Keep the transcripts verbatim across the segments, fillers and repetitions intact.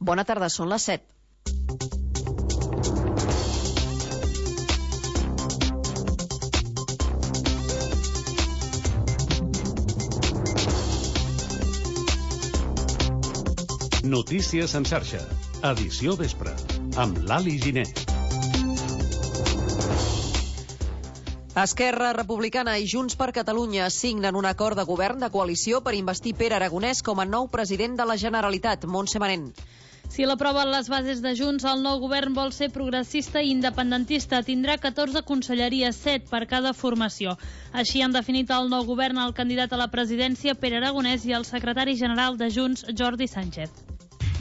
Bona tarda, són les set. Notícies en xarxa, edició vespre, amb l'Ali Giner. Esquerra Republicana i Junts per Catalunya signen un acord de govern de coalició per investir Pere Aragonès com a nou president de la Generalitat. Montse Manent. Si l'aproven les bases de Junts, el nou govern vol ser progressista i independentista. Tindrà catorze conselleries, set per cada formació. Així han definit el nou govern el candidat a la presidència, Pere Aragonès, i el secretari general de Junts, Jordi Sánchez.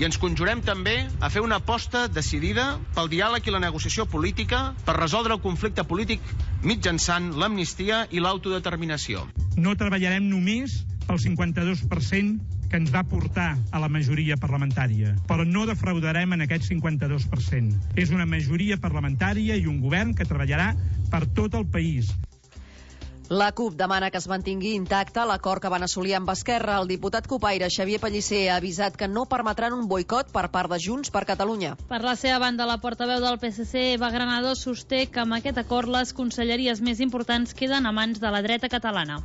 I ens conjurem també a fer una aposta decidida pel diàleg i la negociació política per resoldre el conflicte polític mitjançant l'amnistia i l'autodeterminació. No treballarem només pel cinquanta-dos per cent que ens va portar a la majoria parlamentària, però no defraudarem en aquest cinquanta-dos per cent. És una majoria parlamentària i un govern que treballarà per tot el país. La CUP demana que es mantingui intacte l'acord que van assolir amb Esquerra. El diputat copaire Xavier Pellicer ha avisat que no permetran un boicot per part de Junts per Catalunya. Per la seva banda, la portaveu del P S C, Eva Granado, sosté que amb aquest acord les conselleries més importants queden a mans de la dreta catalana.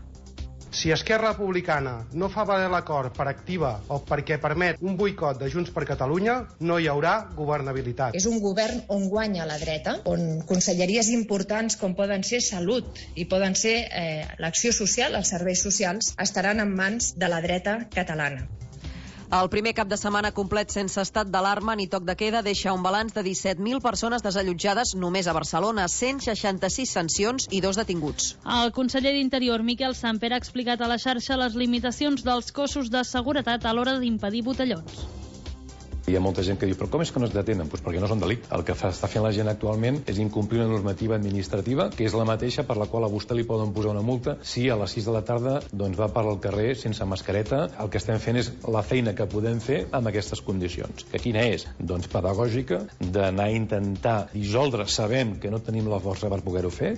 Si Esquerra Republicana no fa valer l'acord per activa o perquè permet un boicot de Junts per Catalunya, no hi haurà governabilitat. És un govern on guanya la dreta, on conselleries importants com poden ser Salut i poden ser eh, l'acció social, els serveis socials, estaran en mans de la dreta catalana. El primer cap de setmana complet sense estat d'alarma ni toc de queda deixa un balanç de disset mil persones desallotjades només a Barcelona, cent seixanta-sis sancions i dos detinguts. El conseller d'Interior, Miquel Samper, ha explicat a la xarxa les limitacions dels cossos de seguretat a l'hora d'impedir botellons. Hi ha molta gent que diu, però com és que no es detenen? Pues perquè no és un delicte. El que fa, està fent la gent actualment és incomplir una normativa administrativa, que és la mateixa per la qual a vostè li poden posar una multa si a les sis de la tarda doncs, va per al carrer sense mascareta. El que estem fent és la feina que podem fer amb aquestes condicions. Que quina és? Doncs pedagògica, d'anar a intentar dissoldre, sabem que no tenim la força per poder-ho fer.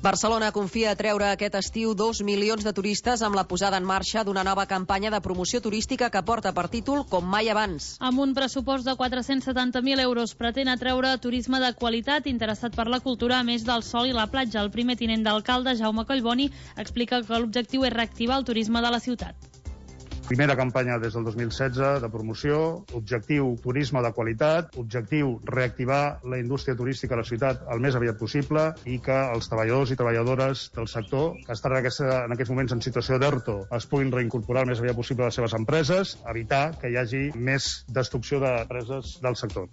Barcelona confia a treure aquest estiu dos milions de turistes amb la posada en marxa d'una nova campanya de promoció turística que porta per títol Com mai abans. Amb un pressupost de quatre-cents setanta mil euros pretén atreure turisme de qualitat interessat per la cultura, a més del sol i la platja. El primer tinent d'alcalde, Jaume Collboni, explica que l'objectiu és reactivar el turisme de la ciutat. Primera campanya des del dos mil setze de promoció, objectiu turisme de qualitat, objectiu reactivar la indústria turística a la ciutat el més aviat possible i que els treballadors i treballadores del sector que estan en, aquesta, en aquests moments en situació d'ERTO es puguin reincorporar el més aviat possible a les seves empreses, evitar que hi hagi més destrucció d'empreses del sector.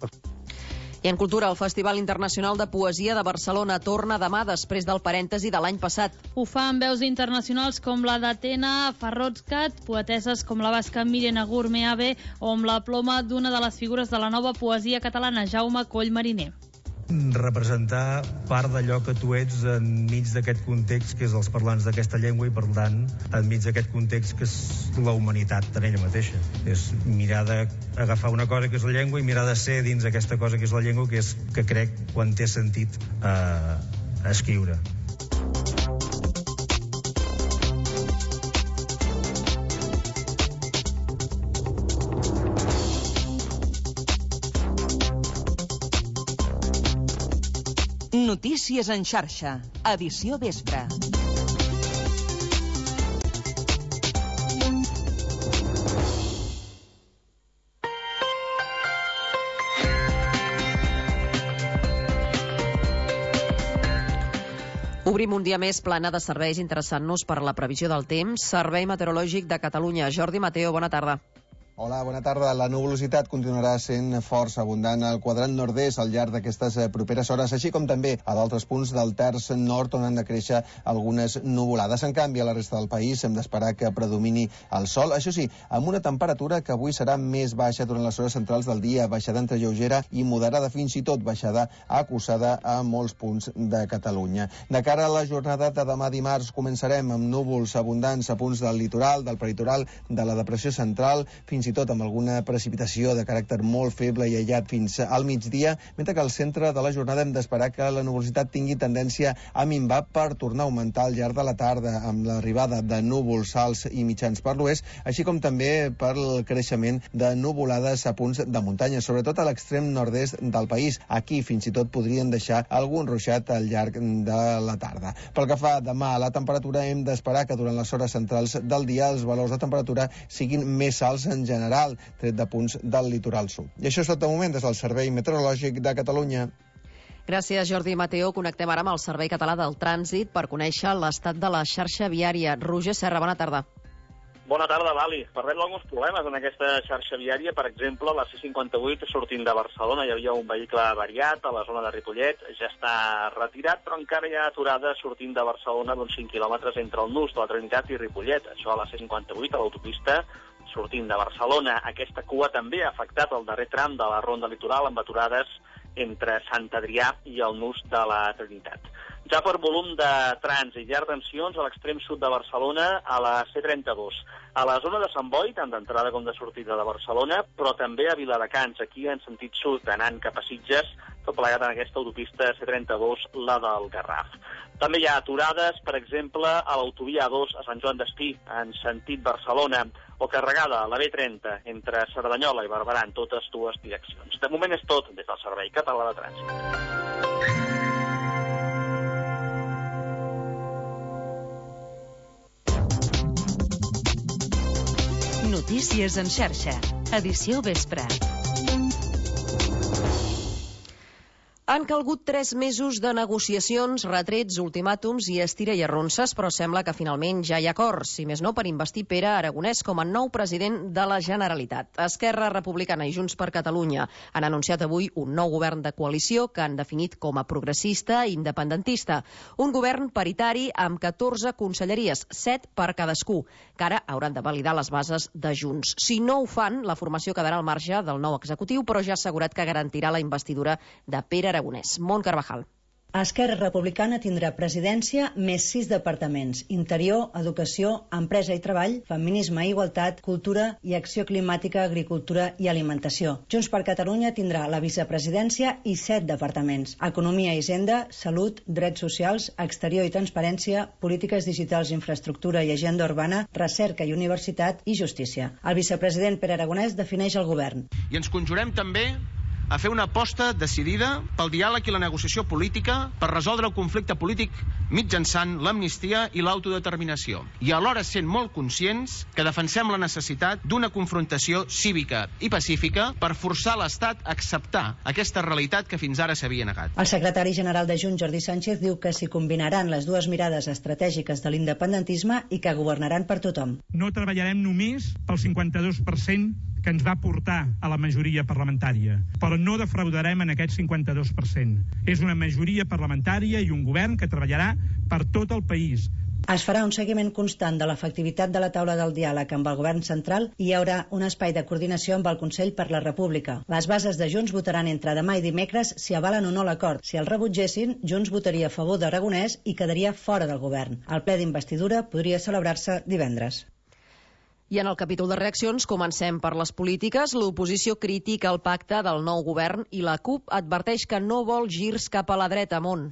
I en cultura, el Festival Internacional de Poesia de Barcelona torna demà després del parèntesi de l'any passat. Ho fa amb veus internacionals com la d'Atena Farrodscat, poeteses com la basca Míriam Agur Meave o amb la ploma d'una de les figures de la nova poesia catalana, Jaume Coll Mariner. Representar part d'allò que tu ets enmig d'aquest context que és els parlants d'aquesta llengua i per tant enmig d'aquest context que és la humanitat en ella mateixa. És mirar d'agafar una cosa que és la llengua i mirar de ser dins aquesta cosa que és la llengua, que és que crec quan té sentit eh, escriure. Notícies en xarxa, edició vespre. Obrim un dia més plana de serveis interessant-nos per la previsió del temps. Servei Meteorològic de Catalunya. Jordi Mateo, bona tarda. Hola, bona tarda. La nuvolositat continuarà sent força abundant al quadrant nord-est al llarg d'aquestes properes hores, així com també a d'altres punts del terç nord on han de créixer algunes nuvolades. En canvi, a la resta del país hem d'esperar que predomini el sol, això sí, amb una temperatura que avui serà més baixa durant les hores centrals del dia, baixada entre lleugera i moderada, fins i tot baixada acusada a molts punts de Catalunya. De cara a la jornada de demà dimarts començarem amb núvols abundants a punts del litoral, del peritoral, de la depressió central, fins i i tot amb alguna precipitació de caràcter molt feble i aïllat fins al migdia, mentre que al centre de la jornada hem d'esperar que la nuvolositat tingui tendència a minvar per tornar a augmentar al llarg de la tarda amb l'arribada de núvols alts i mitjans per l'oest, així com també pel creixement de nuvolades a punts de muntanya, sobretot a l'extrem nord-est del país. Aquí fins i tot podrien deixar algun ruixat al llarg de la tarda. Pel que fa demà a la temperatura, hem d'esperar que durant les hores centrals del dia els valors de temperatura siguin més alts en general, tret de punts del litoral sud. I això és tot de moment des del Servei Meteorològic de Catalunya. Gràcies, Jordi Mateo. Connectem ara amb el Servei Català del Trànsit per conèixer l'estat de la xarxa viària. Roger Serra, bona tarda. Bona tarda, Lali. Parlem d'alguns problemes en aquesta xarxa viària. Per exemple, a la C cinquanta-vuit, sortint de Barcelona, hi havia un vehicle avariat a la zona de Ripollet. Ja està retirat, però encara hi ha aturada sortint de Barcelona d'uns cinc quilòmetres entre el nus de la Trinitat i Ripollet. Això a la C cinquanta-vuit, a l'autopista, sortint de Barcelona. Aquesta cua també ha afectat el darrer tram de la ronda litoral amb aturades entre Sant Adrià i el nus de la Trinitat. Ja per volum de trànsit, hi ha retencions a l'extrem sud de Barcelona, a la C trenta-dos. A la zona de Sant Boi, tant d'entrada com de sortida de Barcelona, però també a Viladecans, aquí en sentit sud, anant cap a Sitges, tot plegat en aquesta autopista C trenta-dos, la del Garraf. També hi ha aturades, per exemple, a l'autovia A dos a Sant Joan d'Espí, en sentit Barcelona, o carregada a la B trenta entre Cerdanyola i Barberà en totes dues direccions. De moment és tot des del Servei Català de Trànsit. Notícies en xarxa. Edició vespre. Han calgut tres mesos de negociacions, retrets, ultimàtums i estira i arronses, però sembla que finalment ja hi ha acord, si més no per investir Pere Aragonès com a nou president de la Generalitat. Esquerra Republicana i Junts per Catalunya han anunciat avui un nou govern de coalició que han definit com a progressista i independentista. Un govern paritari amb catorze conselleries, set per cadascú, que ara hauran de validar les bases de Junts. Si no ho fan, la formació quedarà al marge del nou executiu, però ja ha assegurat que garantirà la investidura de Pere Aragonès. Mont Carvajal. Esquerra Republicana tindrà presidència més sis departaments: Interior, Educació, Empresa i Treball, Feminisme i Igualtat, Cultura i Acció Climàtica, Agricultura i Alimentació. Junts per Catalunya tindrà la vicepresidència i set departaments: Economia i Hisenda, Salut, Drets Socials, Exterior i Transparència, Polítiques Digitals, Infraestructura i Agenda Urbana, Recerca i Universitat i Justícia. El vicepresident Pere Aragonès defineix el govern. I ens conjurem també a fer una aposta decidida pel diàleg i la negociació política per resoldre el conflicte polític mitjançant l'amnistia i l'autodeterminació. I alhora sent molt conscients que defensem la necessitat d'una confrontació cívica i pacífica per forçar l'Estat a acceptar aquesta realitat que fins ara s'havia negat. El secretari general de Junts, Jordi Sánchez, diu que s'hi combinaran les dues mirades estratègiques de l'independentisme i que governaran per tothom. No treballarem només pel cinquanta-dos per cent que ens va portar a la majoria parlamentària, però no defraudarem en aquest cinquanta-dos per cent. És una majoria parlamentària i un govern que treballarà per tot el país. Es farà un seguiment constant de l'efectivitat de la taula del diàleg amb el govern central i hi haurà un espai de coordinació amb el Consell per la República. Les bases de Junts votaran entre demà i dimecres si avalen o no l'acord. Si el rebutgessin, Junts votaria a favor d'Aragonès i quedaria fora del govern. El ple d'investidura podria celebrar-se divendres. I en el capítol de reaccions comencem per les polítiques. L'oposició critica el pacte del nou govern i la CUP adverteix que no vol girs cap a la dreta. Mont.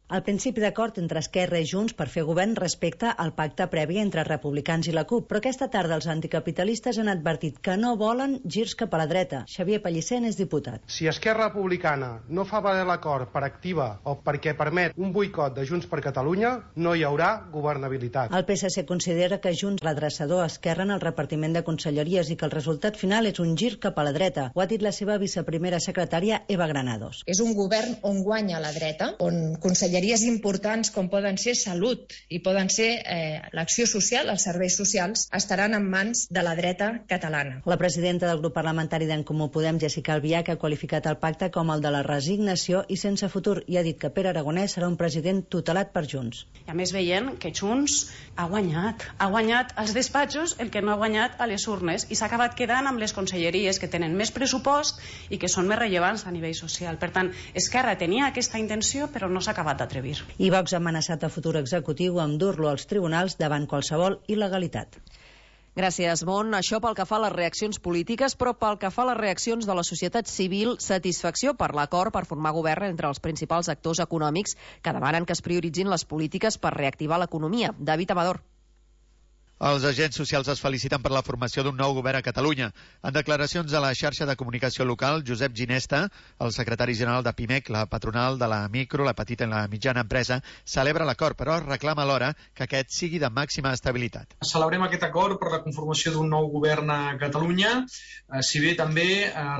El principi d'acord entre Esquerra i Junts per fer govern respecta al pacte previ entre republicans i la CUP, però aquesta tarda els anticapitalistes han advertit que no volen girs cap a la dreta. Xavier Pellicer és diputat. Si Esquerra Republicana no fa valer l'acord per activa o perquè permet un boicot de Junts per Catalunya, no hi haurà governabilitat. El P S C considera que Junts redreçador a Esquerra en el repartiment de conselleries i que el resultat final és un gir cap a la dreta. Ho ha dit la seva viceprimera secretària, Eva Granados. És un govern on guanya la dreta, on conselleries importants com poden ser Salut i poden ser eh, l'acció social, els serveis socials, estaran en mans de la dreta catalana. La presidenta del grup parlamentari d'En Comú Podem, Jessica Albiach, ha qualificat el pacte com el de la resignació i sense futur i ha dit que Pere Aragonès serà un president tutelat per Junts. I a més veient que Junts ha guanyat, ha guanyat als despatxos el que no ha guanyat a les urnes i s'ha acabat quedant amb les conselleries que tenen més pressupost i que són més rellevants a nivell social. Per tant, Esquerra tenia aquesta intenció però no s'ha acabat atrevir. I Vox ha amenaçat a futur executiu amb dur-lo als tribunals davant qualsevol il·legalitat. Gràcies, Mon. Això pel que fa a les reaccions polítiques, però pel que fa a les reaccions de la societat civil, satisfacció per l'acord per formar govern entre els principals actors econòmics que demanen que es prioritzin les polítiques per reactivar l'economia. David Amador. Els agents socials es feliciten per la formació d'un nou govern a Catalunya. En declaracions a la xarxa de comunicació local, Josep Ginesta, el secretari general de PIMEC, la patronal de la micro, la petita i la mitjana empresa, celebra l'acord, però reclama alhora que aquest sigui de màxima estabilitat. Celebrem aquest acord per la conformació d'un nou govern a Catalunya, si bé també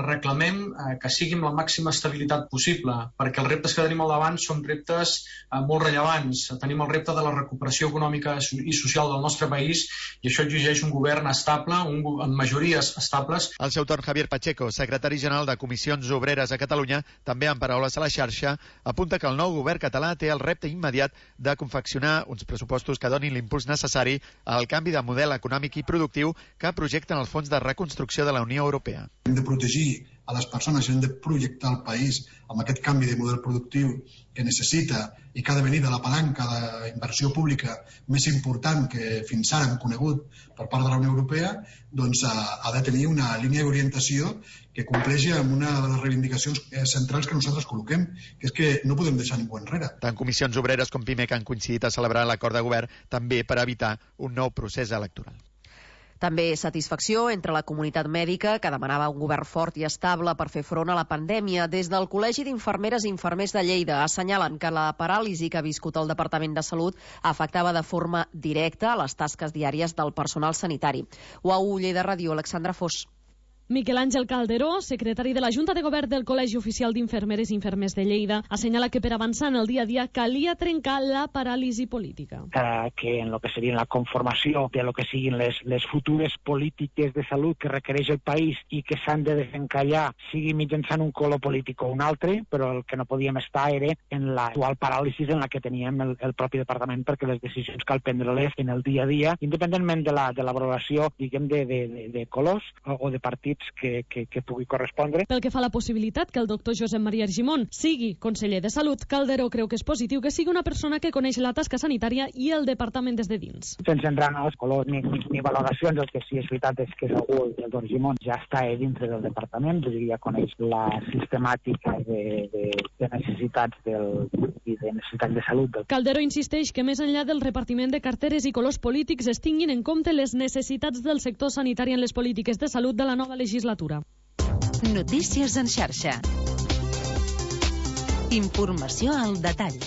reclamem que sigui amb la màxima estabilitat possible, perquè els reptes que tenim al davant són reptes molt rellevants. Tenim el repte de la recuperació econòmica i social del nostre país, i això exigeix un govern estable, un, amb majories estables. Al seu torn, Javier Pacheco, secretari general de Comissions Obreres a Catalunya, també en paraules a la xarxa, apunta que el nou govern català té el repte immediat de confeccionar uns pressupostos que donin l'impuls necessari al canvi de model econòmic i productiu que projecten els fons de reconstrucció de la Unió Europea. Hem de protegir a les persones, hem de projectar el país amb aquest canvi de model productiu que necessita i que ha de venir de la palanca d'inversió pública més important que fins ara hem conegut per part de la Unió Europea, doncs ha de tenir una línia d'orientació que compleixi amb una de les reivindicacions centrals que nosaltres col·loquem, que és que no podem deixar ningú enrere. Tant Comissions Obreres com PIMEC han coincidit a celebrar l'acord de govern també per evitar un nou procés electoral. També satisfacció entre la comunitat mèdica, que demanava un govern fort i estable per fer front a la pandèmia. Des del Col·legi d'Infermeres i Infermers de Lleida assenyalen que la paràlisi que ha viscut el Departament de Salut afectava de forma directa les tasques diàries del personal sanitari. U A U Lleida Ràdio, Alexandra Fos. Miquel Àngel Calderó, secretari de la Junta de Govern del Col·legi Oficial d'Infermeres i Infermers de Lleida, assenyala que per avançar en el dia a dia calia trencar la paràlisi política. Eh, que en lo que seria la conformació de lo que siguin les, les futures polítiques de salut que requereix el país i que s'han de desencallar, sigui mitjançant un color polític o un altre, però el que no podíem estar era en l'actual paràlisi en la que teníem el, el propi departament, perquè les decisions cal prendre-les en el dia a dia, independentment de la, de la valoració, diguem, de, de, de, de colors o, o de partits Que, que, que pugui correspondre. Pel que fa a la possibilitat que el doctor Josep Maria Argimon sigui conseller de Salut, Calderó creu que és positiu que sigui una persona que coneix la tasca sanitària i el departament des de dins. Sense entrar en els colors ni, ni, ni valoracions, el que sí és veritat és que segur el doctor Argimon ja està dintre del departament, vull dir, ja coneix la sistemàtica de, de, de necessitats del, i de necessitats de salut. Del... Calderó insisteix que més enllà del repartiment de carteres i colors polítics es tinguin en compte les necessitats del sector sanitari en les polítiques de salut de la nova legislatura. legislatura. Notícies en xarxa. Informació al detall.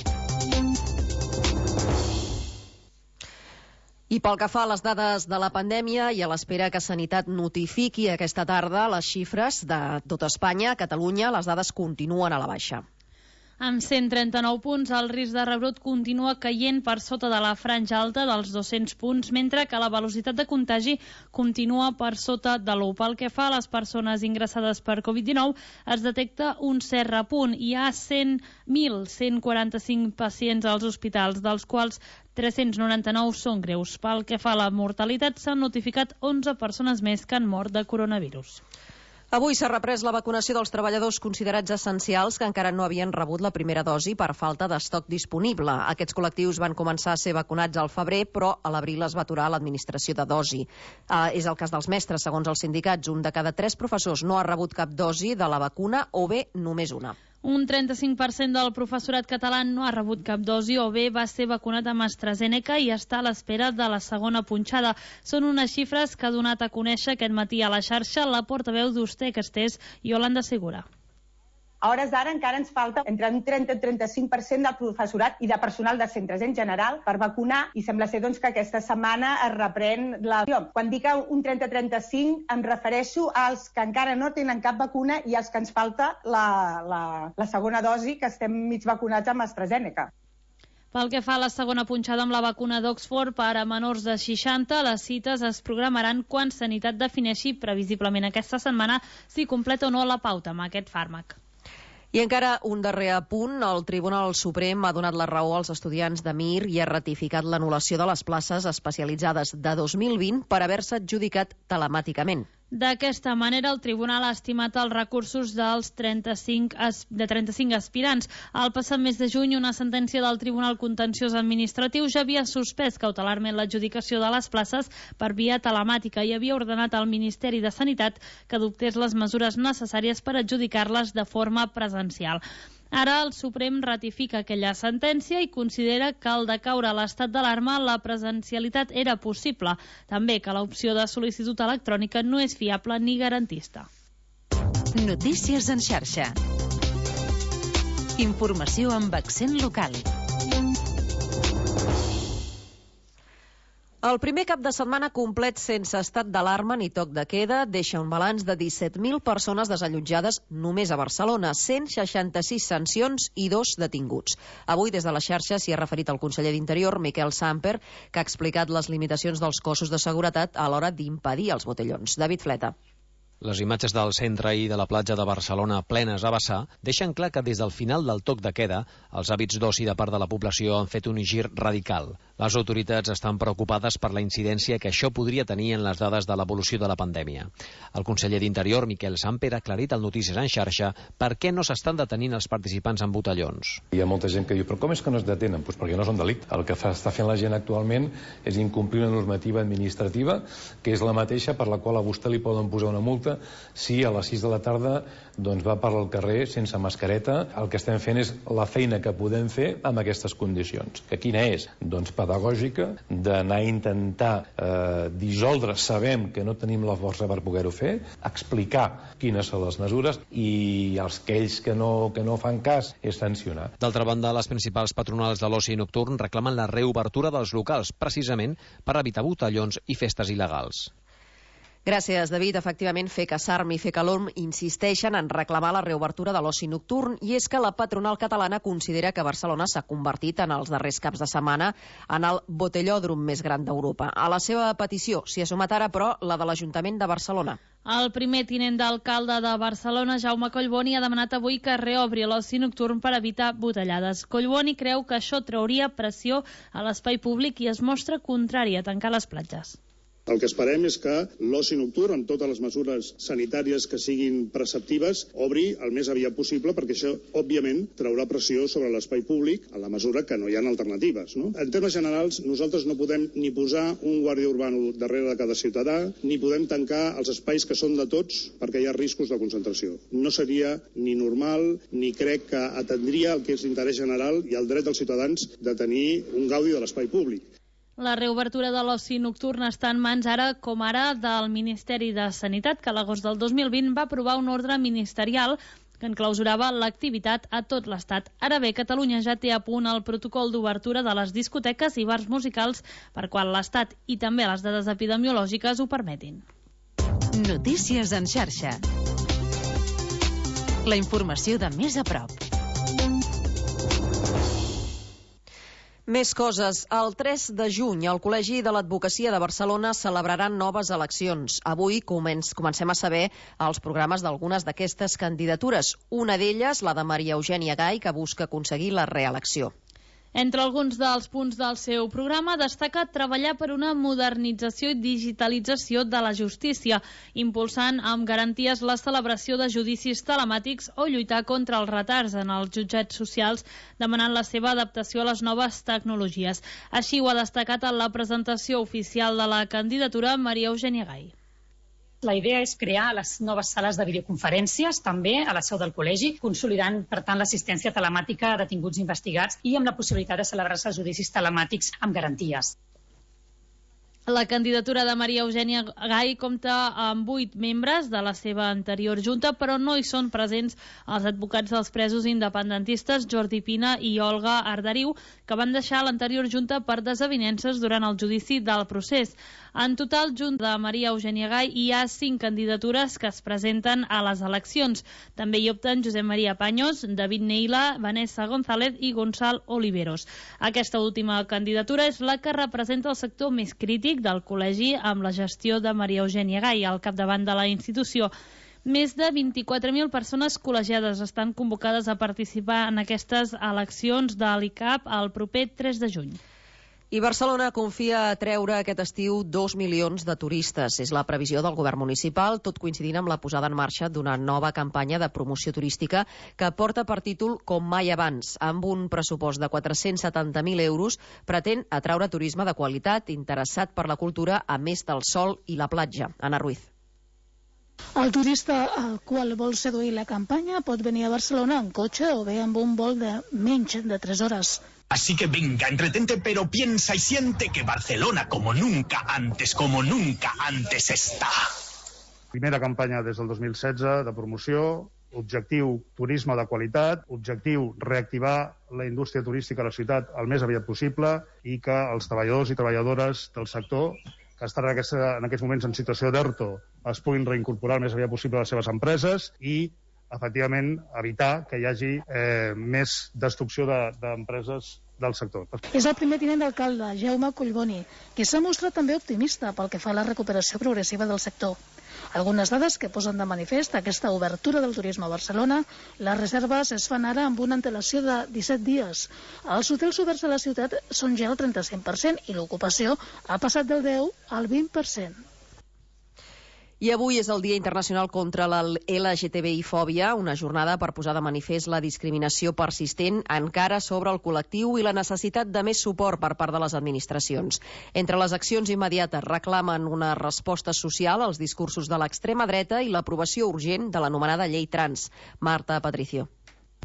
I pel que fa a les dades de la pandèmia i a l'espera que Sanitat notifiqui aquesta tarda les xifres de tot Espanya, a Catalunya, les dades continuen a la baixa. Amb cent trenta-nou punts, el risc de rebrot continua caient per sota de la franja alta dels dos-cents punts, mentre que la velocitat de contagi continua per sota de l'u. Pel que fa a les persones ingressades per Covid dinou, es detecta un cert repunt. Hi ha mil cent quaranta-cinc pacients als hospitals, dels quals tres-cents noranta-nou són greus. Pel que fa a la mortalitat, s'han notificat onze persones més que han mort de coronavirus. Avui s'ha reprès la vacunació dels treballadors considerats essencials que encara no havien rebut la primera dosi per falta d'estoc disponible. Aquests col·lectius van començar a ser vacunats al febrer, però a l'abril es va aturar l'administració de dosi. Uh, és el cas dels mestres, segons els sindicats. Un de cada tres professors no ha rebut cap dosi de la vacuna o bé només una. Un trenta-cinc per cent del professorat català no ha rebut cap dosi o bé va ser vacunat amb AstraZeneca i està a l'espera de la segona punxada. Són unes xifres que ha donat a conèixer aquest matí a la xarxa la portaveu d'Usté Castés, Iolanda Segura. A hores d'ara encara ens falta entre un trenta i trenta-cinc per cent del professorat i de personal de centres en general per vacunar i sembla ser doncs, que aquesta setmana es reprèn la... Quan dic un trenta a trenta-cinc em refereixo als que encara no tenen cap vacuna i als que ens falta la, la, la segona dosi, que estem mig vacunats amb AstraZeneca. Pel que fa a la segona punxada amb la vacuna d'Oxford per a menors de seixanta, les cites es programaran quan Sanitat defineixi previsiblement aquesta setmana si completa o no la pauta amb aquest fàrmac. I encara un darrer apunt. El Tribunal Suprem ha donat la raó als estudiants de Mir i ha ratificat l'anul·lació de les places especialitzades de dos mil vint per haver-se adjudicat telemàticament. D'aquesta manera, el tribunal ha estimat els recursos dels trenta-cinc, de trenta-cinc aspirants. Al passat mes de juny, una sentència del Tribunal Contenciós Administratiu ja havia suspès cautelarment l'adjudicació de les places per via telemàtica i havia ordenat al Ministeri de Sanitat que adoptés les mesures necessàries per adjudicar-les de forma presencial. Ara el Suprem ratifica aquella sentència i considera que al decaure l'estat d'alarma la presencialitat era possible. També que l'opció de sol·licitud electrònica no és fiable ni garantista. Notícies en xarxa. Informació amb accent local. El primer cap de setmana complet sense estat d'alarma ni toc de queda deixa un balanç de disset mil persones desallotjades només a Barcelona, cent seixanta-sis sancions i dos detinguts. Avui des de la xarxa s'hi ha referit el conseller d'Interior, Miquel Samper, que ha explicat les limitacions dels cossos de seguretat a l'hora d'impedir els botellons. David Fleta. Les imatges del centre i de la platja de Barcelona plenes a vessar deixen clar que des del final del toc de queda els hàbits d'oci de part de la població han fet un gir radical. Les autoritats estan preocupades per la incidència que això podria tenir en les dades de l'evolució de la pandèmia. El conseller d'Interior, Miquel Samper, ha aclarit al Notícies en xarxa per què no s'estan detenint els participants en botellons. Hi ha molta gent que diu, però com és que no es detenen? Pues perquè no són delicte. El que fa, està fent la gent actualment és incomplir una normativa administrativa que és la mateixa per la qual a vostè li poden posar una multa si a les sis de la tarda doncs, va per al carrer sense mascareta. El que estem fent és la feina que podem fer amb aquestes condicions. Que quina és? Doncs pedagògica, d'anar a intentar eh, dissoldre, sabem que no tenim la força per poder-ho fer, explicar quines són les mesures i els que ells que no, que no fan cas és sancionar. D'altra banda, les principals patronals de l'oci nocturn reclamen la reobertura dels locals, precisament per evitar botellons i festes il·legals. Gràcies, David. Efectivament, FECA, SARM i FECALORM insisteixen en reclamar la reobertura de l'oci nocturn i és que la patronal catalana considera que Barcelona s'ha convertit en els darrers caps de setmana en el botellòdrom més gran d'Europa. A la seva petició s'hi ha sumat ara, però, la de l'Ajuntament de Barcelona. El primer tinent d'alcalde de Barcelona, Jaume Collboni, ha demanat avui que reobri l'oci nocturn per evitar botellades. Collboni creu que això trauria pressió a l'espai públic i es mostra contrari a tancar les platges. El que esperem és que l'oci nocturn, amb totes les mesures sanitàries que siguin preceptives, obri el més aviat possible, perquè això, òbviament, traurà pressió sobre l'espai públic en la mesura que no hi ha alternatives. No? En termes generals, nosaltres no podem ni posar un guàrdia urbano darrere de cada ciutadà, ni podem tancar els espais que són de tots perquè hi ha riscos de concentració. No seria ni normal, ni crec que atendria el que és l'interès general i el dret dels ciutadans de tenir un gaudi de l'espai públic. La reobertura de l'oci nocturn està en mans ara com ara del Ministeri de Sanitat, que a l'agost del dos mil vint va aprovar un ordre ministerial que enclausurava l'activitat a tot l'Estat. Ara bé, Catalunya ja té a punt el protocol d'obertura de les discoteques i bars musicals per quan l'Estat i també les dades epidemiològiques ho permetin. Notícies en xarxa. La informació de més a prop. Més coses. El tres de juny, el Col·legi de l'Advocacia de Barcelona celebraran noves eleccions. Avui començ, comencem a saber els programes d'algunes d'aquestes candidatures. Una d'elles, la de Maria Eugènia Gai, que busca aconseguir la reelecció. Entre alguns dels punts del seu programa destaca treballar per una modernització i digitalització de la justícia, impulsant amb garanties la celebració de judicis telemàtics o lluitar contra els retards en els jutjats socials, demanant la seva adaptació a les noves tecnologies. Així ho ha destacat en la presentació oficial de la candidatura Maria Eugènia Gai. La idea és crear les noves sales de videoconferències, també a la seu del col·legi, consolidant, per tant, l'assistència telemàtica a detinguts investigats i amb la possibilitat de celebrar-se judicis telemàtics amb garanties. La candidatura de Maria Eugènia Gai compta amb vuit membres de la seva anterior junta, però no hi són presents els advocats dels presos independentistes Jordi Pina i Olga Arderiu, que van deixar l'anterior junta per desavinences durant el judici del procés. En total, junt de Maria Eugènia Gai, hi ha cinc candidatures que es presenten a les eleccions. També hi opten Josep Maria Paños, David Neila, Vanessa González i Gonçal Oliveros. Aquesta última candidatura és la que representa el sector més crític del col·legi amb la gestió de Maria Eugènia Gai al capdavant de la institució. Més de vint-i-quatre mil persones col·legiades estan convocades a participar en aquestes eleccions de l'I C A P el proper tres de juny. I Barcelona confia a treure aquest estiu dos milions de turistes. És la previsió del govern municipal, tot coincidint amb la posada en marxa d'una nova campanya de promoció turística que porta per títol Com mai abans. Amb un pressupost de quatre-cents setanta mil euros, pretén atraure turisme de qualitat, interessat per la cultura, a més del sol i la platja. Anna Ruiz. El turista al qual vol seduir la campanya pot venir a Barcelona en cotxe o bé amb un vol de menys de tres hores. Así que venga, entretente, pero piensa y siente que Barcelona, como nunca antes, como nunca antes está. Primera campanya des del dos mil setze de promoció, objectiu turisme de qualitat, objectiu reactivar la indústria turística a la ciutat el més aviat possible i que els treballadors i treballadores del sector que estan en, aquesta, en aquests moments en situació d'ERTO es puguin reincorporar el més aviat possible a les seves empreses i efectivament, evitar que hi hagi eh, més destrucció d'empreses de, del sector. És el primer tinent d'alcalde, Jaume Collboni, que s'ha mostrat també optimista pel que fa a la recuperació progressiva del sector. Algunes dades que posen de manifest aquesta obertura del turisme a Barcelona. Les reserves es fan ara amb una antelació de disset dies. Els hotels oberts a la ciutat són ja el trenta-cinc per cent i l'ocupació ha passat del deu al vint per cent. I avui és el Dia Internacional contra la L G T B I-fòbia, una jornada per posar de manifest la discriminació persistent encara sobre el col·lectiu i la necessitat de més suport per part de les administracions. Entre les accions immediates reclamen una resposta social als discursos de l'extrema dreta i l'aprovació urgent de l'anomenada llei trans. Marta Patricio.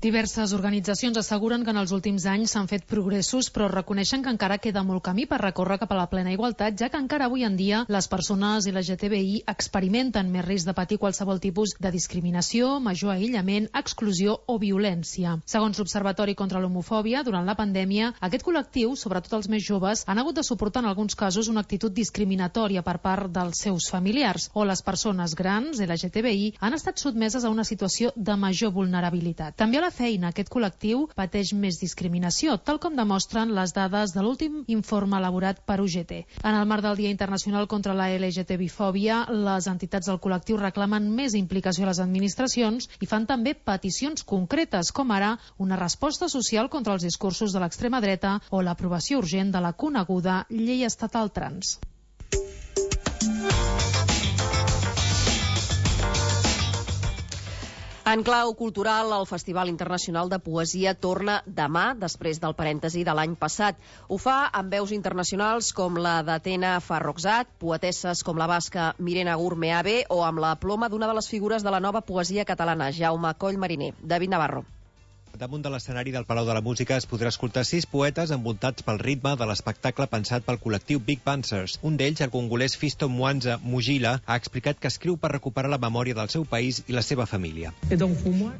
Diverses organitzacions asseguren que en els últims anys s'han fet progressos, però reconeixen que encara queda molt camí per recórrer cap a la plena igualtat, ja que encara avui en dia les persones L G T B I experimenten més risc de patir qualsevol tipus de discriminació, major aïllament, exclusió o violència. Segons l'Observatori contra l'Homofòbia, durant la pandèmia, aquest col·lectiu, sobretot els més joves, han hagut de suportar en alguns casos una actitud discriminatòria per part dels seus familiars, o les persones grans L G T B I han estat sotmeses a una situació de major vulnerabilitat. També a la feina, aquest col·lectiu pateix més discriminació, tal com demostren les dades de l'últim informe elaborat per U G T. En el marc del Dia Internacional contra la L G T B I-fòbia, les entitats del col·lectiu reclamen més implicació a les administracions i fan també peticions concretes, com ara una resposta social contra els discursos de l'extrema dreta o l'aprovació urgent de la coneguda Llei Estatal Trans. En clau cultural, el Festival Internacional de Poesia torna demà, després del parèntesi de l'any passat. Ho fa amb veus internacionals com la d'Atena Farrokhzad, poetesses com la basca Mirena Gurmeabe o amb la ploma d'una de les figures de la nova poesia catalana, Jaume Coll Mariner. David Navarro. Damunt de l'escenari del Palau de la Música es podrà escoltar sis poetes envoltats pel ritme de l'espectacle pensat pel col·lectiu Big Panzers. Un d'ells, el congolès Fisto Mwanza Mujila, ha explicat que escriu per recuperar la memòria del seu país i la seva família.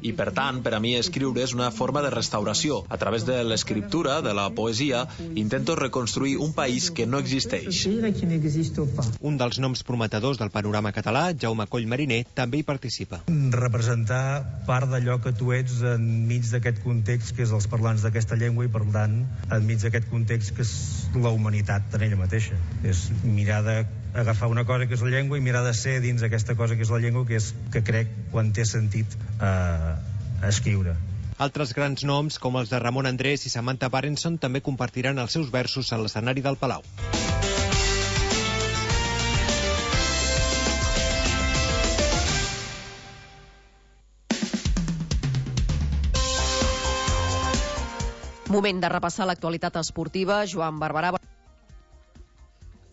I per tant, per a mi escriure és una forma de restauració. A través de l'escriptura, de la poesia, intento reconstruir un país que no existeix. Un dels noms prometedors del panorama català, Jaume Coll Mariner, també hi participa. Representar part d'allò que tu ets enmig d'aquest aquest context que és els parlants d'aquesta llengua i per tant enmig d'aquest context que és la humanitat en ella mateixa. És mirar d'agafar una cosa que és la llengua i mirar de ser dins aquesta cosa que és la llengua que és que crec quan té sentit eh, escriure. Altres grans noms com els de Ramon Andrés i Samantha Parenson també compartiran els seus versos a l'escenari del Palau. Moment de repassar l'actualitat esportiva. Joan Barberà.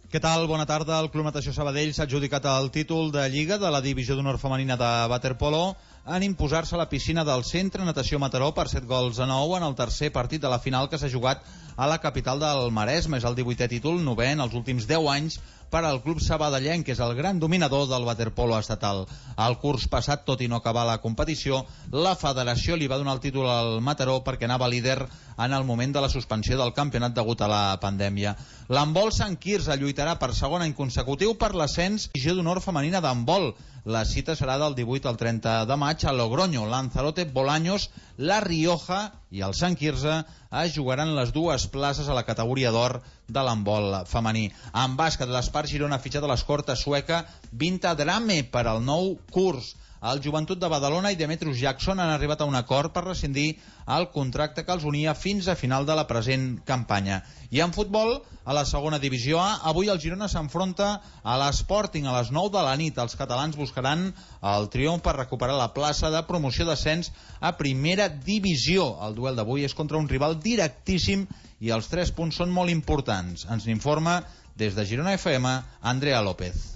Què tal? Bona tarda. El Club Natació Sabadell s'ha adjudicat el títol de Lliga de la Divisió d'Honor Femenina de waterpolo en imposar-se a la piscina del Centre Natació Mataró per set gols a nou en el tercer partit de la final que s'ha jugat a la capital del Maresme. És el divuitè títol, novè en els últims deu anys per al club sabadellenc, que és el gran dominador del waterpolo estatal. El curs passat, tot i no acabar la competició, la federació li va donar el títol al Mataró perquè anava líder en el moment de la suspensió del campionat degut a la pandèmia. L'handbol Sant Quirze lluitarà per segon any consecutiu per l'ascens Divisió d'Honor Femenina d'handbol. La cita serà del divuit al trenta de maig a Logroño. Lanzarote, Bolaños, La Rioja i el Sant Quirze es jugaran les dues places a la categoria d'or de l'handbol femení. En bàsquet, l'Espart Girona ha fitxat a l'escorta sueca Vinta Drame per al nou curs. el Joventut de Badalona i Demetrius Jackson han arribat a un acord per rescindir el contracte que els unia fins a final de la present campanya. I en futbol, a la segona divisió A, avui el Girona s'enfronta a l'Sporting a les nou de la nit. Els catalans buscaran el triomf per recuperar la plaça de promoció d'ascens a primera divisió. El duel d'avui és contra un rival directíssim i els tres punts són molt importants. Ens n'informa des de Girona F M, Andrea López.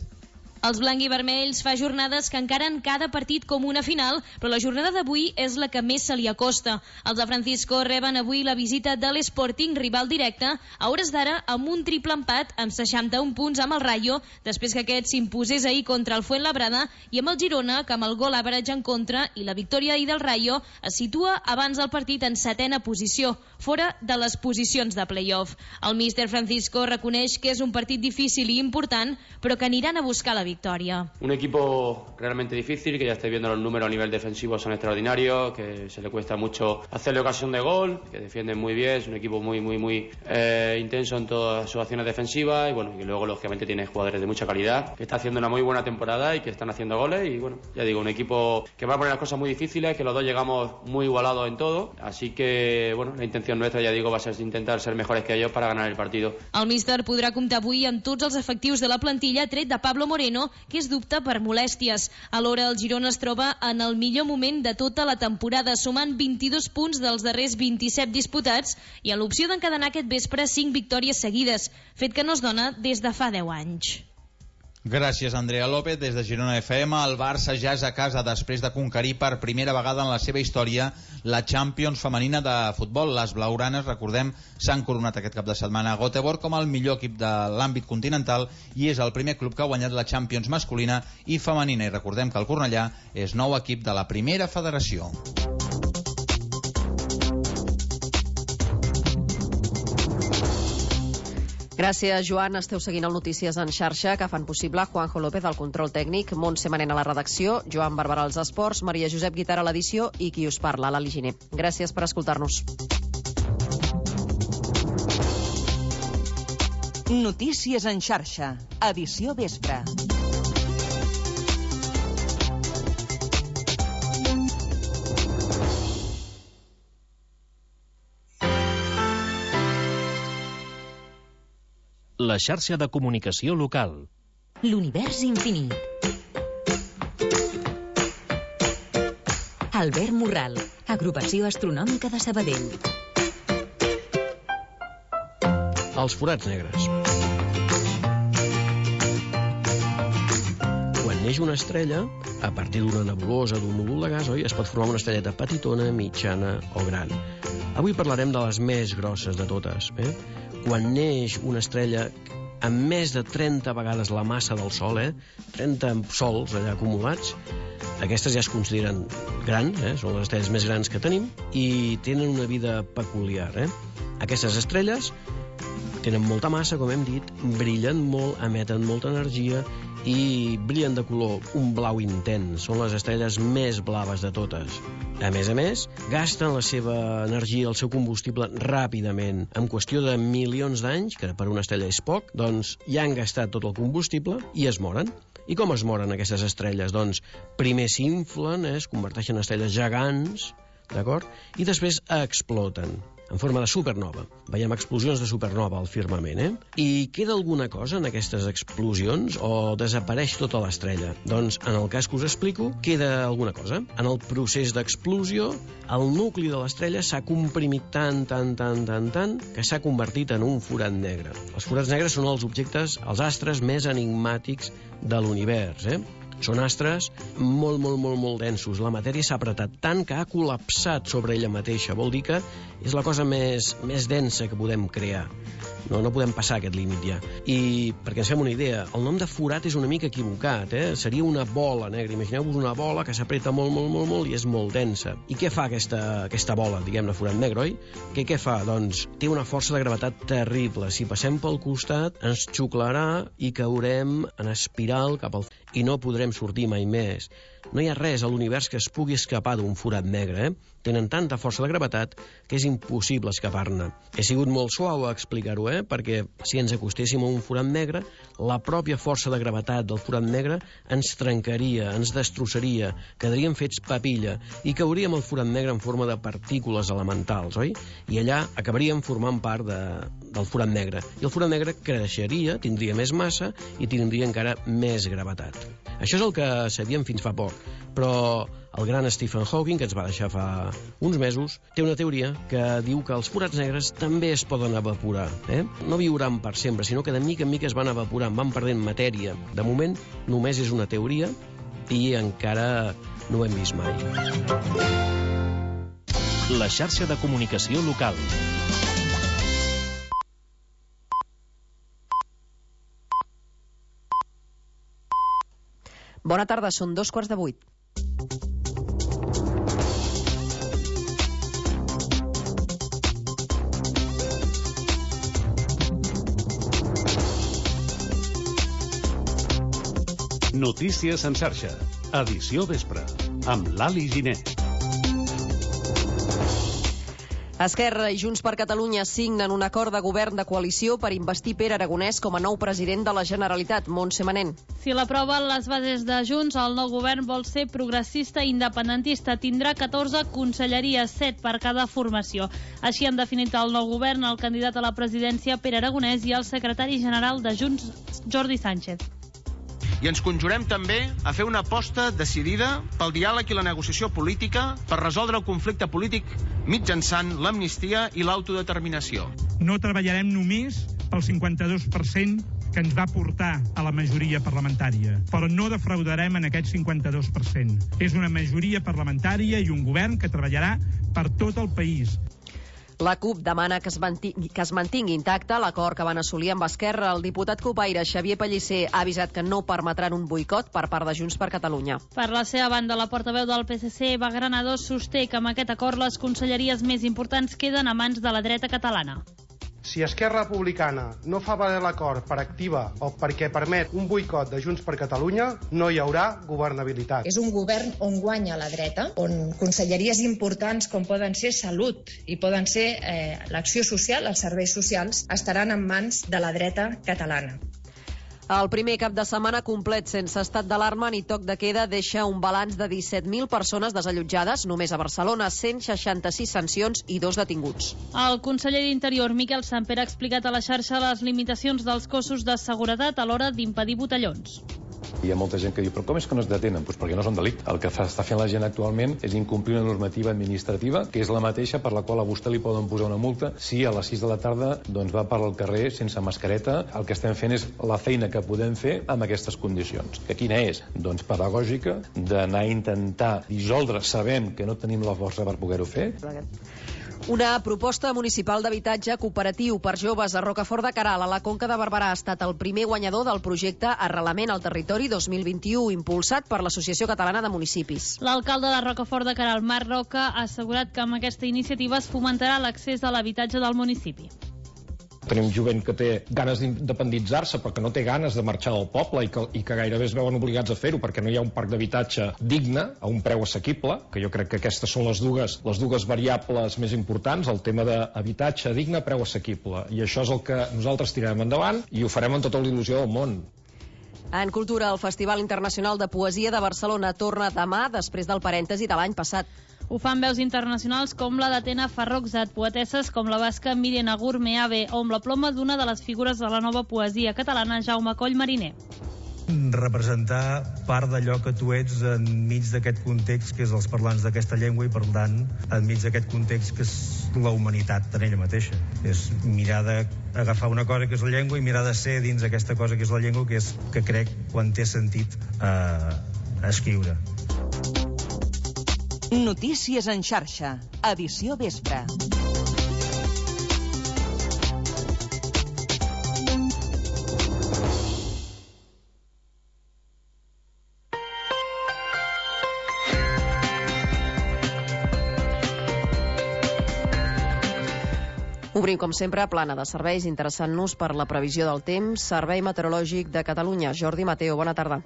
Els blanc i vermells fa jornades que encaren cada partit com una final, però la jornada d'avui és la que més se li acosta. Els de Francisco reben avui la visita de l'Sporting, rival directe, a hores d'ara amb un triple empat amb seixanta-un punts amb el Rayo, després que aquest s'imposés ahir contra el Fuenlabrada, i amb el Girona, que amb el gol average en contra i la victòria ahir del Rayo, es situa abans del partit en setena posició, fora de les posicions de play-off. El míster Francisco reconeix que és un partit difícil i important, però que aniran a buscar la victoria. Un equipo realmente difícil, que ya estáis viendo los números a nivel defensivo son extraordinarios, que se le cuesta mucho hacerle ocasión de gol, que defienden muy bien, es un equipo muy muy muy eh, intenso en todas sus acciones defensivas y bueno, y luego lógicamente tiene jugadores de mucha calidad, que está haciendo una muy buena temporada y que están haciendo goles y bueno, ya digo, un equipo que va a poner las cosas muy difíciles, que los dos llegamos muy igualados en todo, así que bueno, la intención nuestra, ya digo, va a ser intentar ser mejores que ellos para ganar el partido. El míster podrà comptar avui amb tots els efectius de la plantilla, tret de Pablo Moreno, que és dubte per molèsties. Alhora, el Girona es troba en el millor moment de tota la temporada, sumant vint-i-dos punts dels darrers vint-i-set disputats i en l'opció d'encadenar aquest vespre cinc victòries seguides, fet que no es dona des de fa deu anys. Gràcies, Andrea López. Des de Girona F M, el Barça ja és a casa després de conquerir per primera vegada en la seva història la Champions femenina de futbol. Les blaugranes, recordem, s'han coronat aquest cap de setmana a Göteborg com el millor equip de l'àmbit continental i és el primer club que ha guanyat la Champions masculina i femenina. I recordem que el Cornellà és nou equip de la primera federació. Gràcies, Joan. Esteu seguint el Notícies en xarxa, que fan possible Juanjo López al control tècnic, Montse Manent a la redacció, Joan Barberà als esports, Maria Josep Guitar a l'edició i qui us parla, l'Ali Giner. Gràcies per escoltar-nos. Notícies en xarxa, edició vespre. La xarxa de comunicació local. L'univers infinit. Albert Morral, agrupació astronòmica de Sabadell. Els forats negres. Quan neix una estrella, a partir d'una nebulosa, d'un núvol de gas, oi, es pot formar una estrelleta petitona, mitjana o gran. Avui parlarem de les més grosses de totes, eh? Quan neix una estrella amb més de trenta vegades la massa del Sol, eh? trenta sols allà acumulats, aquestes ja es consideren grans, eh? Són les estrelles més grans que tenim i tenen una vida peculiar. Eh? Aquestes estrelles tenen molta massa, com hem dit, brillen molt, emeten molta energia i brillen de color un blau intens. Són les estrelles més blaves de totes. A més a més, gasten la seva energia, el seu combustible ràpidament. En qüestió de milions d'anys, que per una estrella és poc, doncs ja han gastat tot el combustible i es moren. I com es moren aquestes estrelles? Doncs primer s'inflen, eh, es converteixen en estrelles gegants, d'acord? I després exploten en forma de supernova. Veiem explosions de supernova al firmament, eh? I queda alguna cosa en aquestes explosions o desapareix tota l'estrella? Doncs, en el cas que us explico, queda alguna cosa. En el procés d'explosió, el nucli de l'estrella s'ha comprimit tant, tant, tant, tant, tant, que s'ha convertit en un forat negre. Els forats negres són els objectes, els astres més enigmàtics de l'univers, eh? Són astres molt, molt, molt, molt densos. La matèria s'ha apretat tant que ha col·lapsat sobre ella mateixa. Vol dir que és la cosa més, més densa que podem crear. No, no podem passar aquest límit ja. I, perquè ens fem una idea, el nom de forat és una mica equivocat, eh? Seria una bola negra. Imagineu-vos una bola que s'apreta molt, molt, molt, molt i és molt densa. I què fa aquesta, aquesta bola, diguem-ne, forat negre, oi? Què, què fa? Doncs té una força de gravetat terrible. Si passem pel costat, ens xuclarà i caurem en espiral cap al... i no podrem sortir mai més. No hi ha res a l'univers que es pugui escapar d'un forat negre, eh? tenen tanta força de gravetat que és impossible escapar-ne. He sigut molt suau a explicar-ho, eh? Perquè si ens acostéssim a un forat negre, la pròpia força de gravetat del forat negre ens trencaria, ens destrossaria, quedaríem fets papilla i cauríem al forat negre en forma de partícules elementals, oi? I allà acabaríem formant part de, del forat negre. I el forat negre creixeria, tindria més massa i tindria encara més gravetat. Això és el que sabíem fins fa poc, però el gran Stephen Hawking, que ens va deixar fa uns mesos, té una teoria que diu que els forats negres també es poden evaporar. Eh? No viuran per sempre, sinó que de mica en mica es van evaporant, van perdent matèria. De moment, només és una teoria i encara no ho hem vist mai. La xarxa de comunicació local. Bona tarda, són dos quarts de vuit. Notícies en xarxa, edició vespre, amb l'Ali Giner. Esquerra i Junts per Catalunya signen un acord de govern de coalició per investir Pere Aragonès com a nou president de la Generalitat. Montse Manent. Si l'aproven les bases de Junts, el nou govern vol ser progressista i independentista. Tindrà catorze conselleries, set per cada formació. Així han definit el nou govern el candidat a la presidència Pere Aragonès i el secretari general de Junts, Jordi Sánchez. I ens conjurem també a fer una aposta decidida pel diàleg i la negociació política per resoldre el conflicte polític mitjançant l'amnistia i l'autodeterminació. No treballarem només pel cinquanta-dos per cent que ens va portar a la majoria parlamentària, però no defraudarem en aquest cinquanta-dos per cent. És una majoria parlamentària i un govern que treballarà per tot el país. La CUP demana que es mantingui, que es mantingui intacte l'acord que van assolir amb Esquerra. El diputat copaire Xavier Pellicer ha avisat que no permetran un boicot per part de Junts per Catalunya. Per la seva banda, la portaveu del P S C, Eva Granados, sosté que amb aquest acord les conselleries més importants queden a mans de la dreta catalana. Si Esquerra Republicana no fa valer l'acord per activa o perquè permet un boicot de Junts per Catalunya, no hi haurà governabilitat. És un govern on guanya la dreta, on conselleries importants com poden ser Salut i poden ser eh, l'acció social, els serveis socials, estaran en mans de la dreta catalana. El primer cap de setmana complet sense estat d'alarma ni toc de queda deixa un balanç de disset mil persones desallotjades només a Barcelona, cent seixanta-sis sancions i dos detinguts. El conseller d'Interior, Miquel Samper, ha explicat a la xarxa les limitacions dels cossos de seguretat a l'hora d'impedir botellons. Hi ha molta gent que diu, però com és que no es detenen? Pues perquè no són delicte. El que fa, està fent la gent actualment és incomplir una normativa administrativa, que és la mateixa per la qual a vostè li poden posar una multa si a les sis de la tarda doncs, va per al carrer sense mascareta. El que estem fent és la feina que podem fer amb aquestes condicions. Que quina és? Doncs pedagògica, d'anar a intentar dissoldre, sabent que no tenim la força per poder-ho fer. Una proposta municipal d'habitatge cooperatiu per joves a Rocafort de Queralt, a la Conca de Barberà, ha estat el primer guanyador del projecte Arrelament al Territori dos mil vint-i-u, impulsat per l'Associació Catalana de Municipis. L'alcalde de Rocafort de Queralt, Marc Roca, ha assegurat que amb aquesta iniciativa es fomentarà l'accés a l'habitatge del municipi. Tenim jovent que té ganes d'independitzar-se però que no té ganes de marxar del poble i que, i que gairebé es veuen obligats a fer-ho perquè no hi ha un parc d'habitatge digne a un preu assequible, que jo crec que aquestes són les dues, les dues variables més importants, el tema d'habitatge digne a preu assequible, i això és el que nosaltres tirarem endavant i ho farem amb tota la il·lusió del món. En cultura, el Festival Internacional de Poesia de Barcelona torna demà després del parèntesi de l'any passat. Ho fan veus internacionals com la d'Atena Farrokhzad, poetesses com la basca Míriam Agur Meave o amb la ploma d'una de les figures de la nova poesia catalana, Jaume Coll Mariner. Representar part d'allò que tu ets enmig d'aquest context que és els parlants d'aquesta llengua i, per tant, enmig d'aquest context que és la humanitat en ella mateixa. És mirar d'agafar una cosa que és la llengua i mirar de ser dins aquesta cosa que és la llengua, que és que crec quan té sentit eh, escriure. Notícies en xarxa, edició vespre. Obrim, com sempre, plana de serveis, interessant-nos per la previsió del temps. Servei Meteorològic de Catalunya. Jordi Mateo, bona tarda.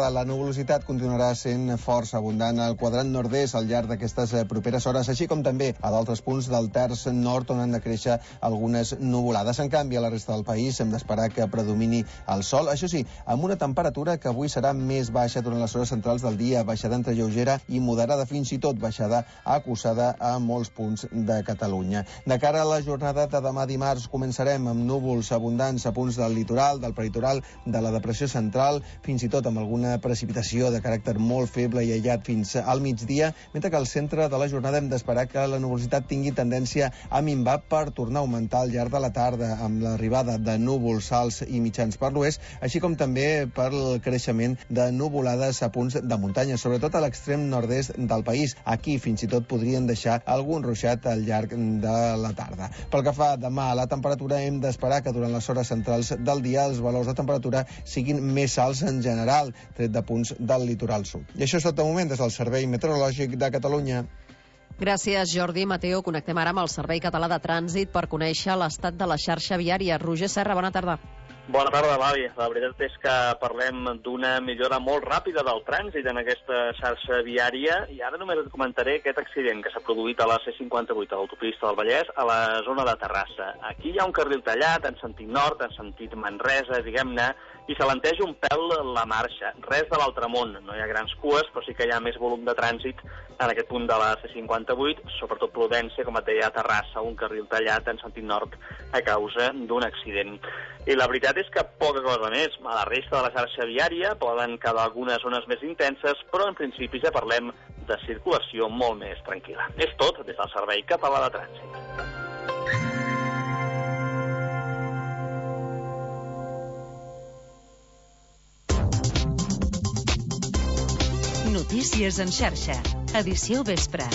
La nuvolositat continuarà sent força abundant al quadrant nord-est al llarg d'aquestes properes hores, així com també a d'altres punts del terç nord on han de créixer algunes nuvolades. En canvi, a la resta del país hem d'esperar que predomini el sol, això sí, amb una temperatura que avui serà més baixa durant les hores centrals del dia, baixada entre lleugera i moderada, fins i tot baixada acusada a molts punts de Catalunya. De cara a la jornada de demà dimarts, començarem amb núvols abundants a punts del litoral, del peritoral, de la depressió central, fins i tot amb alguna precipitació de caràcter molt feble i aïllat fins al migdia, mentre que al centre de la jornada hem d'esperar que la nuvolositat tingui tendència a minvar per tornar a augmentar al llarg de la tarda amb l'arribada de núvols alts i mitjans per l'oest, així com també per el creixement de nuvolades a punts de muntanya, sobretot a l'extrem nord-est del país. Aquí fins i tot podrien deixar algun ruixat al llarg de la tarda. Pel que fa demà a la temperatura, hem d'esperar que durant les hores centrals del dia els valors de temperatura siguin més alts en general, tret de punts del litoral sud. I això és tot de moment des del Servei Meteorològic de Catalunya. Gràcies, Jordi. Mateo, connectem ara amb el Servei Català de Trànsit per conèixer l'estat de la xarxa viària. Roger Serra, bona tarda. Bona tarda, Lavi. La veritat és que parlem d'una millora molt ràpida del trànsit en aquesta xarxa viària i ara només et comentaré aquest accident que s'ha produït a la C cinquanta-vuit, a l'autopista del Vallès, a la zona de Terrassa. Aquí hi ha un carril tallat en sentit nord, en sentit Manresa, diguem-ne, i s'alenteja un pèl la marxa. Res de l'altre món, no hi ha grans cues, però sí que hi ha més volum de trànsit en aquest punt de la C cinquanta-vuit, sobretot Prudència, com et deia, a Terrassa, un carril tallat en sentit nord a causa d'un accident. I la veritat és que poca cosa més. A la resta de la xarxa viària poden quedar algunes zones més intenses, però en principi ja parlem de circulació molt més tranquil·la. És tot des del Servei Català de Trànsit. Notícies en xarxa. Edició vespre.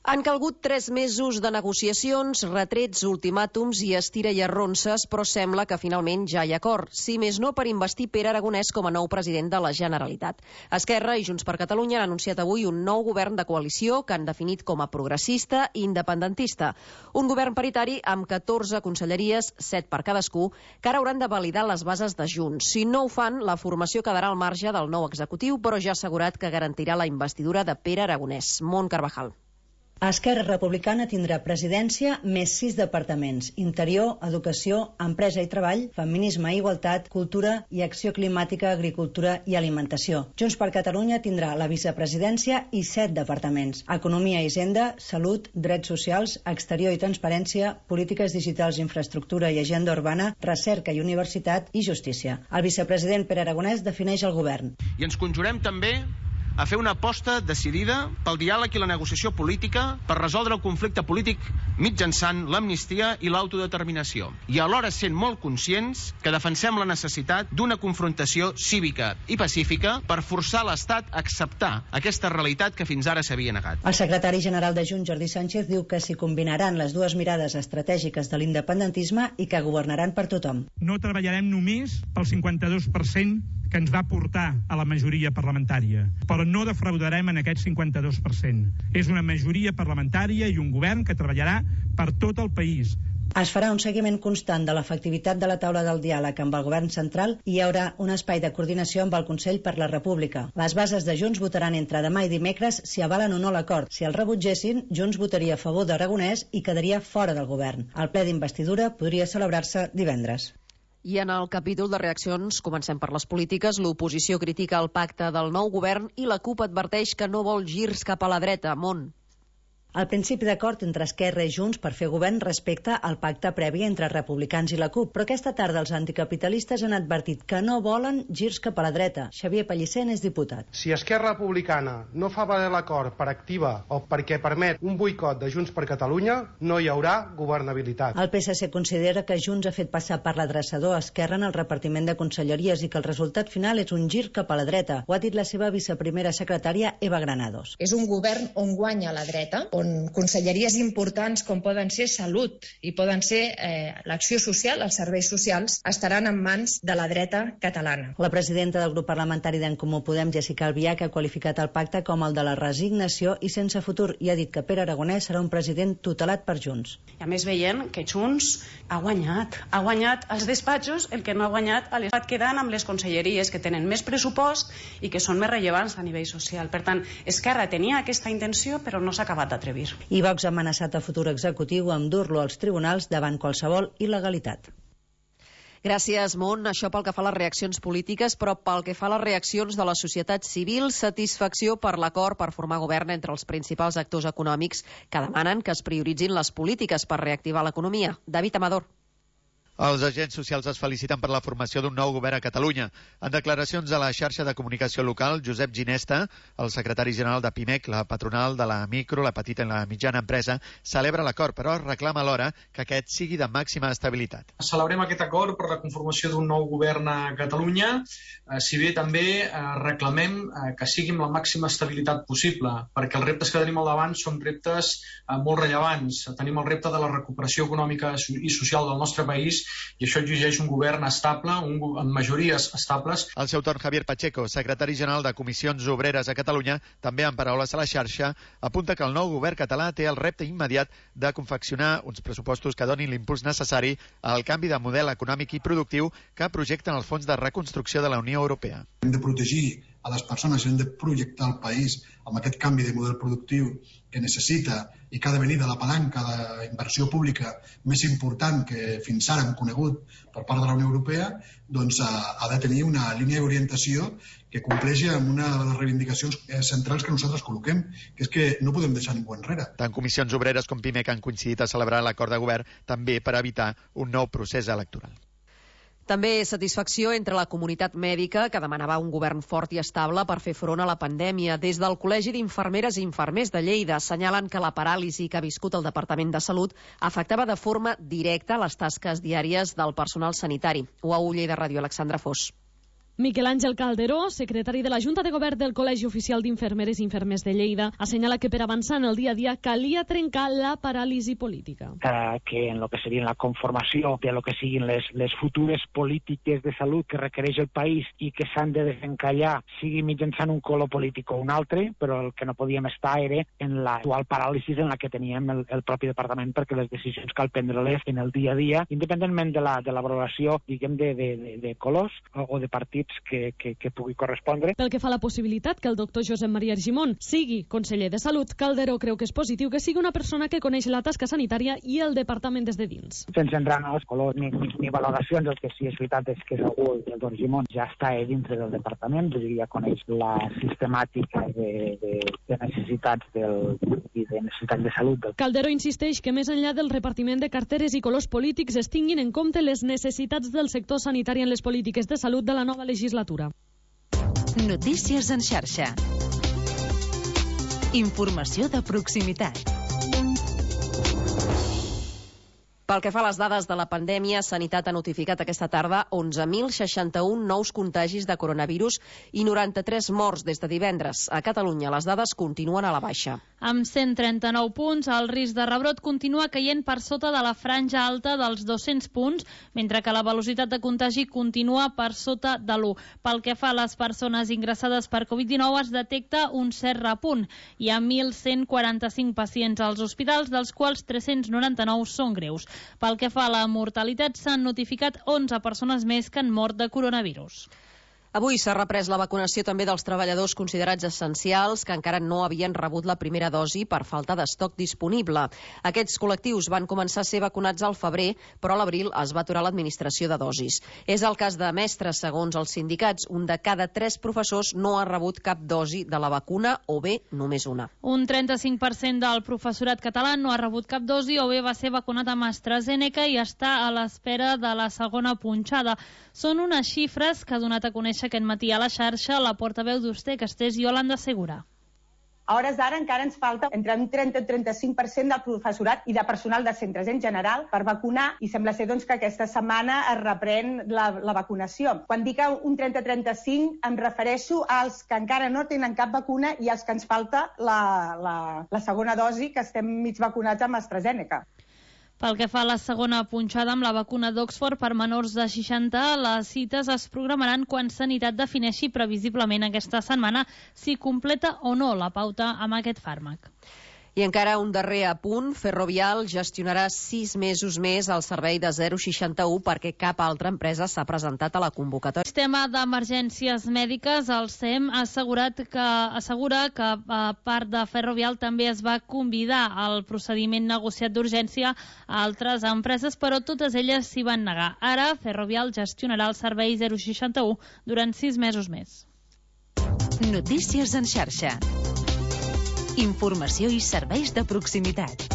Han calgut tres mesos de negociacions, retrets, ultimàtums i estira i arronses, però sembla que finalment ja hi ha acord, si més no per investir Pere Aragonès com a nou president de la Generalitat. Esquerra i Junts per Catalunya han anunciat avui un nou govern de coalició que han definit com a progressista i independentista. Un govern paritari amb catorze conselleries, set per cadascú, que ara hauran de validar les bases de Junts. Si no ho fan, la formació quedarà al marge del nou executiu, però ja ha assegurat que garantirà la investidura de Pere Aragonès. Mont Carvajal. Esquerra Republicana tindrà presidència més sis departaments: Interior, Educació, Empresa i Treball, Feminisme i Igualtat, Cultura i Acció Climàtica, Agricultura i Alimentació. Junts per Catalunya tindrà la vicepresidència i set departaments: Economia i Hisenda, Salut, Drets Socials, Exterior i Transparència, Polítiques Digitals, Infraestructura i Agenda Urbana, Recerca i Universitat i Justícia. El vicepresident Pere Aragonès defineix el govern. I ens conjurem també a fer una aposta decidida pel diàleg i la negociació política per resoldre el conflicte polític mitjançant l'amnistia i l'autodeterminació. I alhora sent molt conscients que defensem la necessitat d'una confrontació cívica i pacífica per forçar l'Estat a acceptar aquesta realitat que fins ara s'havia negat. El secretari general de Junts, Jordi Sánchez, diu que s'hi combinaran les dues mirades estratègiques de l'independentisme i que governaran per tothom. No treballarem només pel cinquanta-dos per cent que ens va portar a la majoria parlamentària, però no defraudarem en aquest cinquanta-dos per cent. És una majoria parlamentària i un govern que treballarà per tot el país. Es farà un seguiment constant de l'efectivitat de la taula del diàleg amb el govern central i hi haurà un espai de coordinació amb el Consell per la República. Les bases de Junts votaran entre demà i dimecres si avalen o no l'acord. Si el rebutgessin, Junts votaria a favor d'Aragonès i quedaria fora del govern. El ple d'investidura podria celebrar-se divendres. I en el capítol de reaccions, comencem per les polítiques, l'oposició critica el pacte del nou govern i la CUP adverteix que no vol girs cap a la dreta. Mont. El principi d'acord entre Esquerra i Junts per fer govern respecta al pacte previ entre republicans i la CUP, però aquesta tarda els anticapitalistes han advertit que no volen girs cap a la dreta. Xavier Pellicer n'és diputat. Si Esquerra Republicana no fa valer l'acord per activa o perquè permet un boicot de Junts per Catalunya, no hi haurà governabilitat. El P S C considera que Junts ha fet passar per l'adreçador a Esquerra en el repartiment de conselleries i que el resultat final és un gir cap a la dreta. Ho ha dit la seva viceprimera secretària, Eva Granados. És un govern on guanya la dreta, on on conselleries importants com poden ser Salut i poden ser eh, l'acció social, els serveis socials, estaran en mans de la dreta catalana. La presidenta del grup parlamentari d'En Comú Podem, Jessica Albiach, ha qualificat el pacte com el de la resignació i sense futur i ha dit que Pere Aragonès serà un president tutelat per Junts. I a més veient que Junts ha guanyat, ha guanyat als despatxos el que no ha guanyat a l'estat, quedant amb les conselleries que tenen més pressupost i que són més rellevants a nivell social. Per tant, Esquerra tenia aquesta intenció però no s'ha acabat d'atrevir. I Vox ha amenaçat el futur executiu amb dur-lo als tribunals davant qualsevol il·legalitat. Gràcies, Mont. Això pel que fa a les reaccions polítiques, però pel que fa a les reaccions de la societat civil, satisfacció per l'acord per formar govern entre els principals actors econòmics que demanen que es prioritzin les polítiques per reactivar l'economia. David Amador. Els agents socials es feliciten per la formació d'un nou govern a Catalunya. En declaracions a la xarxa de comunicació local, Josep Ginesta, el secretari general de PIMEC, la patronal de la micro, la petita i la mitjana empresa, celebra l'acord, però reclama alhora que aquest sigui de màxima estabilitat. Celebrem aquest acord per la conformació d'un nou govern a Catalunya, eh, si bé també eh, reclamem eh, que sigui amb la màxima estabilitat possible, perquè els reptes que tenim al davant són reptes eh, molt rellevants. Tenim el repte de la recuperació econòmica i social del nostre país, i això exigeix un govern estable, un, amb majories estables. Al seu torn, Javier Pacheco, secretari general de Comissions Obreres a Catalunya, també en paraules a la xarxa, apunta que el nou govern català té el repte immediat de confeccionar uns pressupostos que donin l'impuls necessari al canvi de model econòmic i productiu que projecten els fons de reconstrucció de la Unió Europea. Hem de protegir a les persones, hem de projectar el país amb aquest canvi de model productiu que necessita i que ha de venir de la palanca d'inversió pública més important que fins ara hem conegut per part de la Unió Europea, doncs ha de tenir una línia d'orientació que compleixi amb una de les reivindicacions centrals que nosaltres col·loquem, que és que no podem deixar ningú enrere. Tant Comissions Obreres com PIMEC han coincidit a celebrar l'acord de govern també per evitar un nou procés electoral. També satisfacció entre la comunitat mèdica, que demanava un govern fort i estable per fer front a la pandèmia. Des del Col·legi d'Infermeres i Infermers de Lleida assenyalen que la paràlisi que ha viscut el Departament de Salut afectava de forma directa les tasques diàries del personal sanitari. U A U Lleida Ràdio, Alexandra Fos. Miquel Àngel Calderó, secretari de la Junta de Govern del Col·legi Oficial d'Infermeres i Infermers de Lleida, assenyala que per avançar en el dia a dia calia trencar la paràlisi política. Eh, que en lo que seria la conformació de lo que siguin les, les futures polítiques de salut que requereix el país i que s'han de desencallar, sigui mitjançant un color polític o un altre, però el que no podíem estar era en l'actual paràlisi en la que teníem el, el propi departament, perquè les decisions cal prendre-les en el dia a dia, independentment de la, de la valoració, diguem, de, de, de, de colors o, o de partits Que, que, que pugui correspondre. Pel que fa a la possibilitat que el doctor Josep Maria Argimon sigui conseller de Salut, Calderó creu que és positiu que sigui una persona que coneix la tasca sanitària i el departament des de dins. Sense entrar en els colors ni, ni, ni valoracions, el que sí és veritat és que segur el doctor Argimon ja està dintre del departament, és a dir, ja coneix la sistemàtica de, de, de necessitats del, i de necessitats de salut. Del... Calderó insisteix que més enllà del repartiment de carteres i colors polítics es tinguin en compte les necessitats del sector sanitari en les polítiques de salut de la nova legislatura. Notícies en xarxa. Informació de proximitat. Pel que fa a les dades de la pandèmia, Sanitat ha notificat aquesta tarda onze mil seixanta-un nous contagis de coronavirus i noranta-tres morts des de divendres. A Catalunya les dades continuen a la baixa. Amb cent trenta-nou punts, el risc de rebrot continua caient per sota de la franja alta dels dos-cents punts, mentre que la velocitat de contagi continua per sota de l'u. Pel que fa a les persones ingressades per covid dinou, es detecta un cert repunt. Hi ha mil cent quaranta-cinc pacients als hospitals, dels quals tres-cents noranta-nou són greus. Pel que fa a la mortalitat, s'han notificat onze persones més que han mort de coronavirus. Avui s'ha reprès la vacunació també dels treballadors considerats essencials que encara no havien rebut la primera dosi per falta d'estoc disponible. Aquests col·lectius van començar a ser vacunats al febrer, però a l'abril es va aturar l'administració de dosis. És el cas de mestres, segons els sindicats. Un de cada tres professors no ha rebut cap dosi de la vacuna o bé només una. Un trenta-cinc per cent del professorat català no ha rebut cap dosi o bé va ser vacunat amb AstraZeneca i està a l'espera de la segona punxada. Són unes xifres que ha donat a conèixer aquest matí a la xarxa la portaveu d'Usté, Castells, Yolanda Segura. A hores d'ara encara ens falta entre un trenta i trenta-cinc per cent del professorat i de personal de centres en general per vacunar i sembla ser doncs, que aquesta setmana es reprèn la, la vacunació. Quan dic un trenta a trenta-cinc em refereixo als que encara no tenen cap vacuna i als que ens falta la, la, la segona dosi, que estem mig vacunats amb AstraZeneca. Pel que fa a la segona punxada amb la vacuna d'Oxford per menors de seixanta, les cites es programaran quan Sanitat defineixi previsiblement aquesta setmana si completa o no la pauta amb aquest fàrmac. I encara un darrer apunt, Ferrovial gestionarà sis mesos més el servei de zero seixanta-u perquè cap altra empresa s'ha presentat a la convocatòria. El sistema d'emergències mèdiques, el S E M, ha assegurat que, assegura que a part de Ferrovial també es va convidar al procediment negociat d'urgència a altres empreses, però totes elles s'hi van negar. Ara, Ferrovial gestionarà el servei zero seixanta-u durant sis mesos més. Notícies en xarxa. Informació i serveis de proximitat.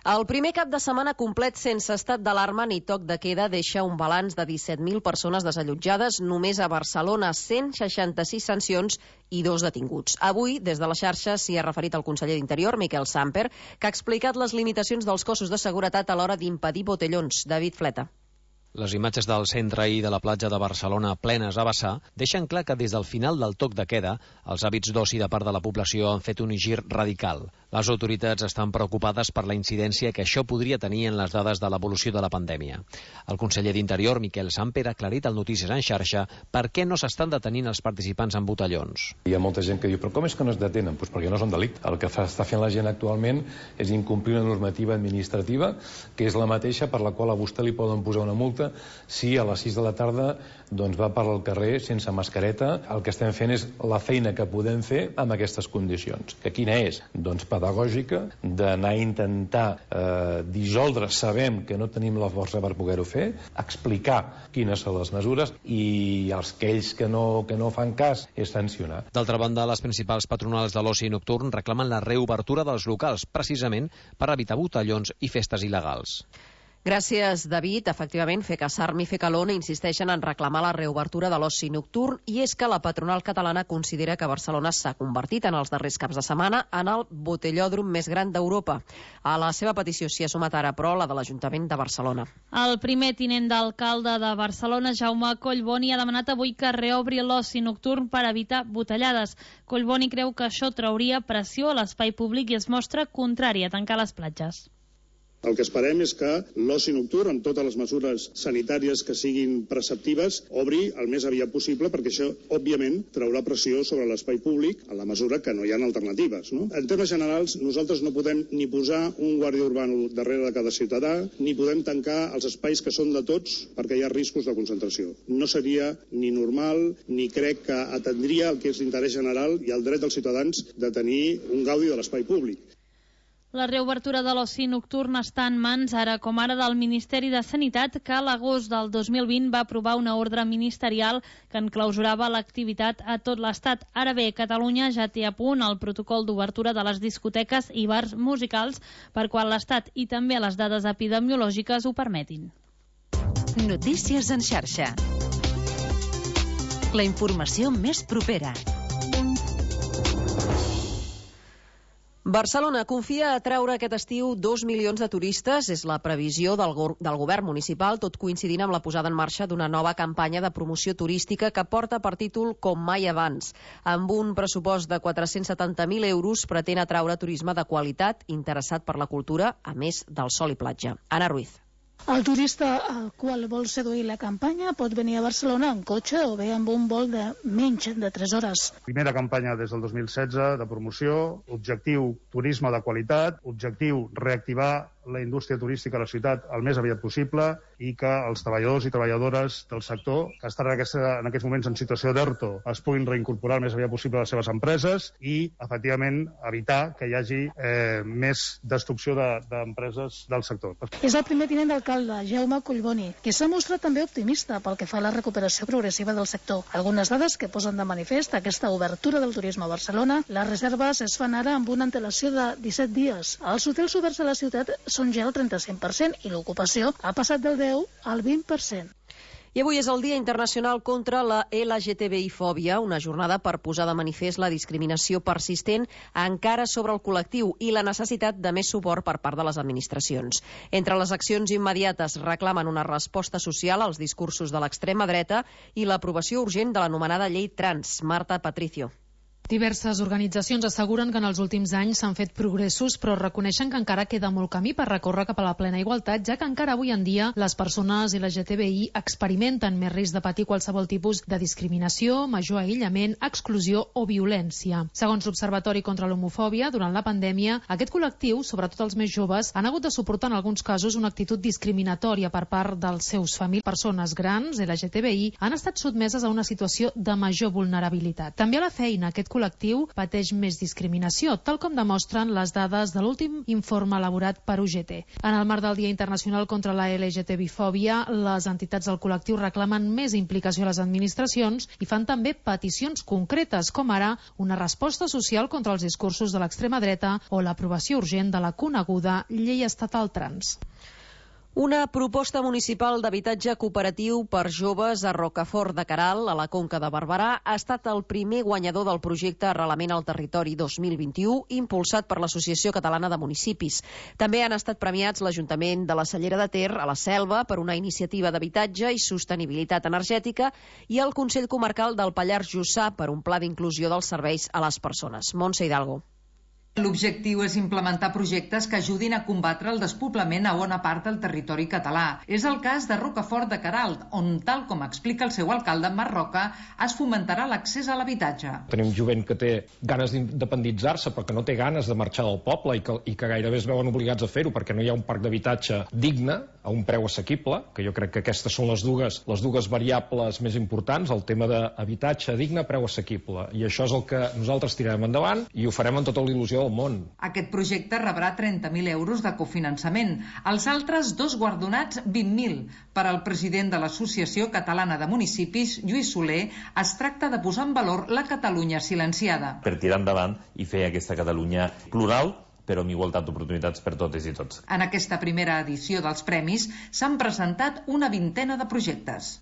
El primer cap de setmana complet sense estat d'alarma ni toc de queda deixa un balanç de disset mil persones desallotjades, només a Barcelona, cent seixanta-sis sancions i dos detinguts. Avui, des de la xarxa, s'hi ha referit el conseller d'Interior, Miquel Samper, que ha explicat les limitacions dels cossos de seguretat a l'hora d'impedir botellons. David Fleta. Les imatges del centre i de la platja de Barcelona plenes a vessar deixen clar que des del final del toc de queda els hàbits d'oci de part de la població han fet un gir radical. Les autoritats estan preocupades per la incidència que això podria tenir en les dades de l'evolució de la pandèmia. El conseller d'Interior, Miquel Samper, ha aclarit al Notícies en xarxa per què no s'estan detenint els participants en botellons. Hi ha molta gent que diu, però com és que no es detenen? Pues perquè no són delicte. El que fa, està fent la gent actualment és incomplir una normativa administrativa que és la mateixa per la qual a vostè li poden posar una multa si a les sis de la tarda doncs, va per al carrer sense mascareta. El que estem fent és la feina que podem fer amb aquestes condicions. Que quina és? Doncs pedagògica, d'anar a intentar eh, dissoldre, sabem que no tenim la força per poder-ho fer, explicar quines són les mesures i els que ells que no, que no fan cas és sancionar. D'altra banda, les principals patronals de l'oci nocturn reclamen la reobertura dels locals, precisament per evitar botellons i festes il·legals. Gràcies, David. Efectivament, FECASARM i FECALON insisteixen en reclamar la reobertura de l'oci nocturn i és que la patronal catalana considera que Barcelona s'ha convertit en els darrers caps de setmana en el botellòdrom més gran d'Europa. A la seva petició s'hi ha sumat ara, però, la de l'Ajuntament de Barcelona. El primer tinent d'alcalde de Barcelona, Jaume Collboni, ha demanat avui que reobri l'oci nocturn per evitar botellades. Collboni creu que això trauria pressió a l'espai públic i es mostra contrari a tancar les platges. El que esperem és que l'oci nocturn, amb totes les mesures sanitàries que siguin preceptives, obri el més aviat possible, perquè això, òbviament, traurà pressió sobre l'espai públic en la mesura que no hi ha alternatives. No? En termes generals, nosaltres no podem ni posar un guàrdia urbano darrere de cada ciutadà, ni podem tancar els espais que són de tots perquè hi ha riscos de concentració. No seria ni normal, ni crec que atendria el que és l'interès general i el dret dels ciutadans de tenir un gaudi de l'espai públic. La reobertura de l'oci nocturn està en mans, ara com ara, del Ministeri de Sanitat, que a l'agost del dos mil vint va aprovar una ordre ministerial que enclausurava l'activitat a tot l'Estat. Ara bé, Catalunya ja té a punt el protocol d'obertura de les discoteques i bars musicals per quan l'Estat i també les dades epidemiològiques ho permetin. Notícies en xarxa. La informació més propera. Barcelona confia a atraure aquest estiu dos milions de turistes. És la previsió del, go del govern municipal, tot coincidint amb la posada en marxa d'una nova campanya de promoció turística que porta per títol Com mai abans. Amb un pressupost de quatre-cents setanta mil euros pretén atraure turisme de qualitat interessat per la cultura, a més del sol i platja. Anna Ruiz. El turista al qual vol seduir la campanya pot venir a Barcelona en cotxe o bé amb un vol de menys de tres hores. Primera campanya des del dos mil setze de promoció, objectiu turisme de qualitat, objectiu reactivar la indústria turística a la ciutat el més aviat possible i que els treballadors i treballadores del sector que estan en, aquesta, en aquests moments en situació d'ERTO es puguin reincorporar el més aviat possible a les seves empreses i, efectivament, evitar que hi hagi eh, més destrucció d'empreses de, del sector. És el primer tinent d'alcalde, Jaume Collboni, que s'ha mostrat també optimista pel que fa a la recuperació progressiva del sector. Algunes dades que posen de manifest aquesta obertura del turisme a Barcelona. Les reserves es fan ara amb una antelació de disset dies. Els hotels oberts a la ciutat són ja el trenta-cinc per cent i l'ocupació ha passat del deu al vint per cent. I avui és el Dia Internacional contra la L G T B I-fòbia, una jornada per posar de manifest la discriminació persistent encara sobre el col·lectiu i la necessitat de més suport per part de les administracions. Entre les accions immediates reclamen una resposta social als discursos de l'extrema dreta i l'aprovació urgent de l'anomenada llei trans. Marta Patricio. Diverses organitzacions asseguren que en els últims anys s'han fet progressos, però reconeixen que encara queda molt camí per recórrer cap a la plena igualtat, ja que encara avui en dia les persones L G T B I experimenten més risc de patir qualsevol tipus de discriminació, major aïllament, exclusió o violència. Segons l'Observatori contra l'Homofòbia, durant la pandèmia, aquest col·lectiu, sobretot els més joves, han hagut de suportar en alguns casos una actitud discriminatòria per part dels seus famílies. Persones grans, L G T B I, han estat sotmeses a una situació de major vulnerabilitat. També a la feina, aquest col·lectiu col·lectiu pateix més discriminació, tal com demostren les dades de l'últim informe elaborat per U G T. En el marc del Dia Internacional contra la L G T B I-fòbia, les entitats del col·lectiu reclamen més implicació a les administracions i fan també peticions concretes, com ara una resposta social contra els discursos de l'extrema dreta o l'aprovació urgent de la coneguda Llei Estatal Trans. Una proposta municipal d'habitatge cooperatiu per joves a Rocafort de Queralt, a la Conca de Barberà, ha estat el primer guanyador del projecte Arrelament al Territori dos mil vint-i-u, impulsat per l'Associació Catalana de Municipis. També han estat premiats l'Ajuntament de la Cellera de Ter, a la Selva, per una iniciativa d'habitatge i sostenibilitat energètica, i el Consell Comarcal del Pallars Jussà per un pla d'inclusió dels serveis a les persones. Montse Hidalgo. L'objectiu és implementar projectes que ajudin a combatre el despoblament a bona part del territori català. És el cas de Rocafort de Queralt, on, tal com explica el seu alcalde, Marc Roca, es fomentarà l'accés a l'habitatge. Tenim jovent que té ganes d'independitzar-se, però que no té ganes de marxar del poble i que, i que gairebé es veuen obligats a fer-ho perquè no hi ha un parc d'habitatge digne, a un preu assequible, que jo crec que aquestes són les dues, les dues variables més importants, el tema d'habitatge digne, preu assequible. I això és el que nosaltres tirarem endavant i ho farem amb tota l'il·lusió del món. Aquest projecte rebrà trenta mil euros de cofinançament. Els altres dos guardonats, vint mil. Per al president de l'Associació Catalana de Municipis, Lluís Soler, es tracta de posar en valor la Catalunya silenciada. Per tirar endavant i fer aquesta Catalunya plural, però amb igualtat d'oportunitats per totes i tots. En aquesta primera edició dels premis s'han presentat una vintena de projectes.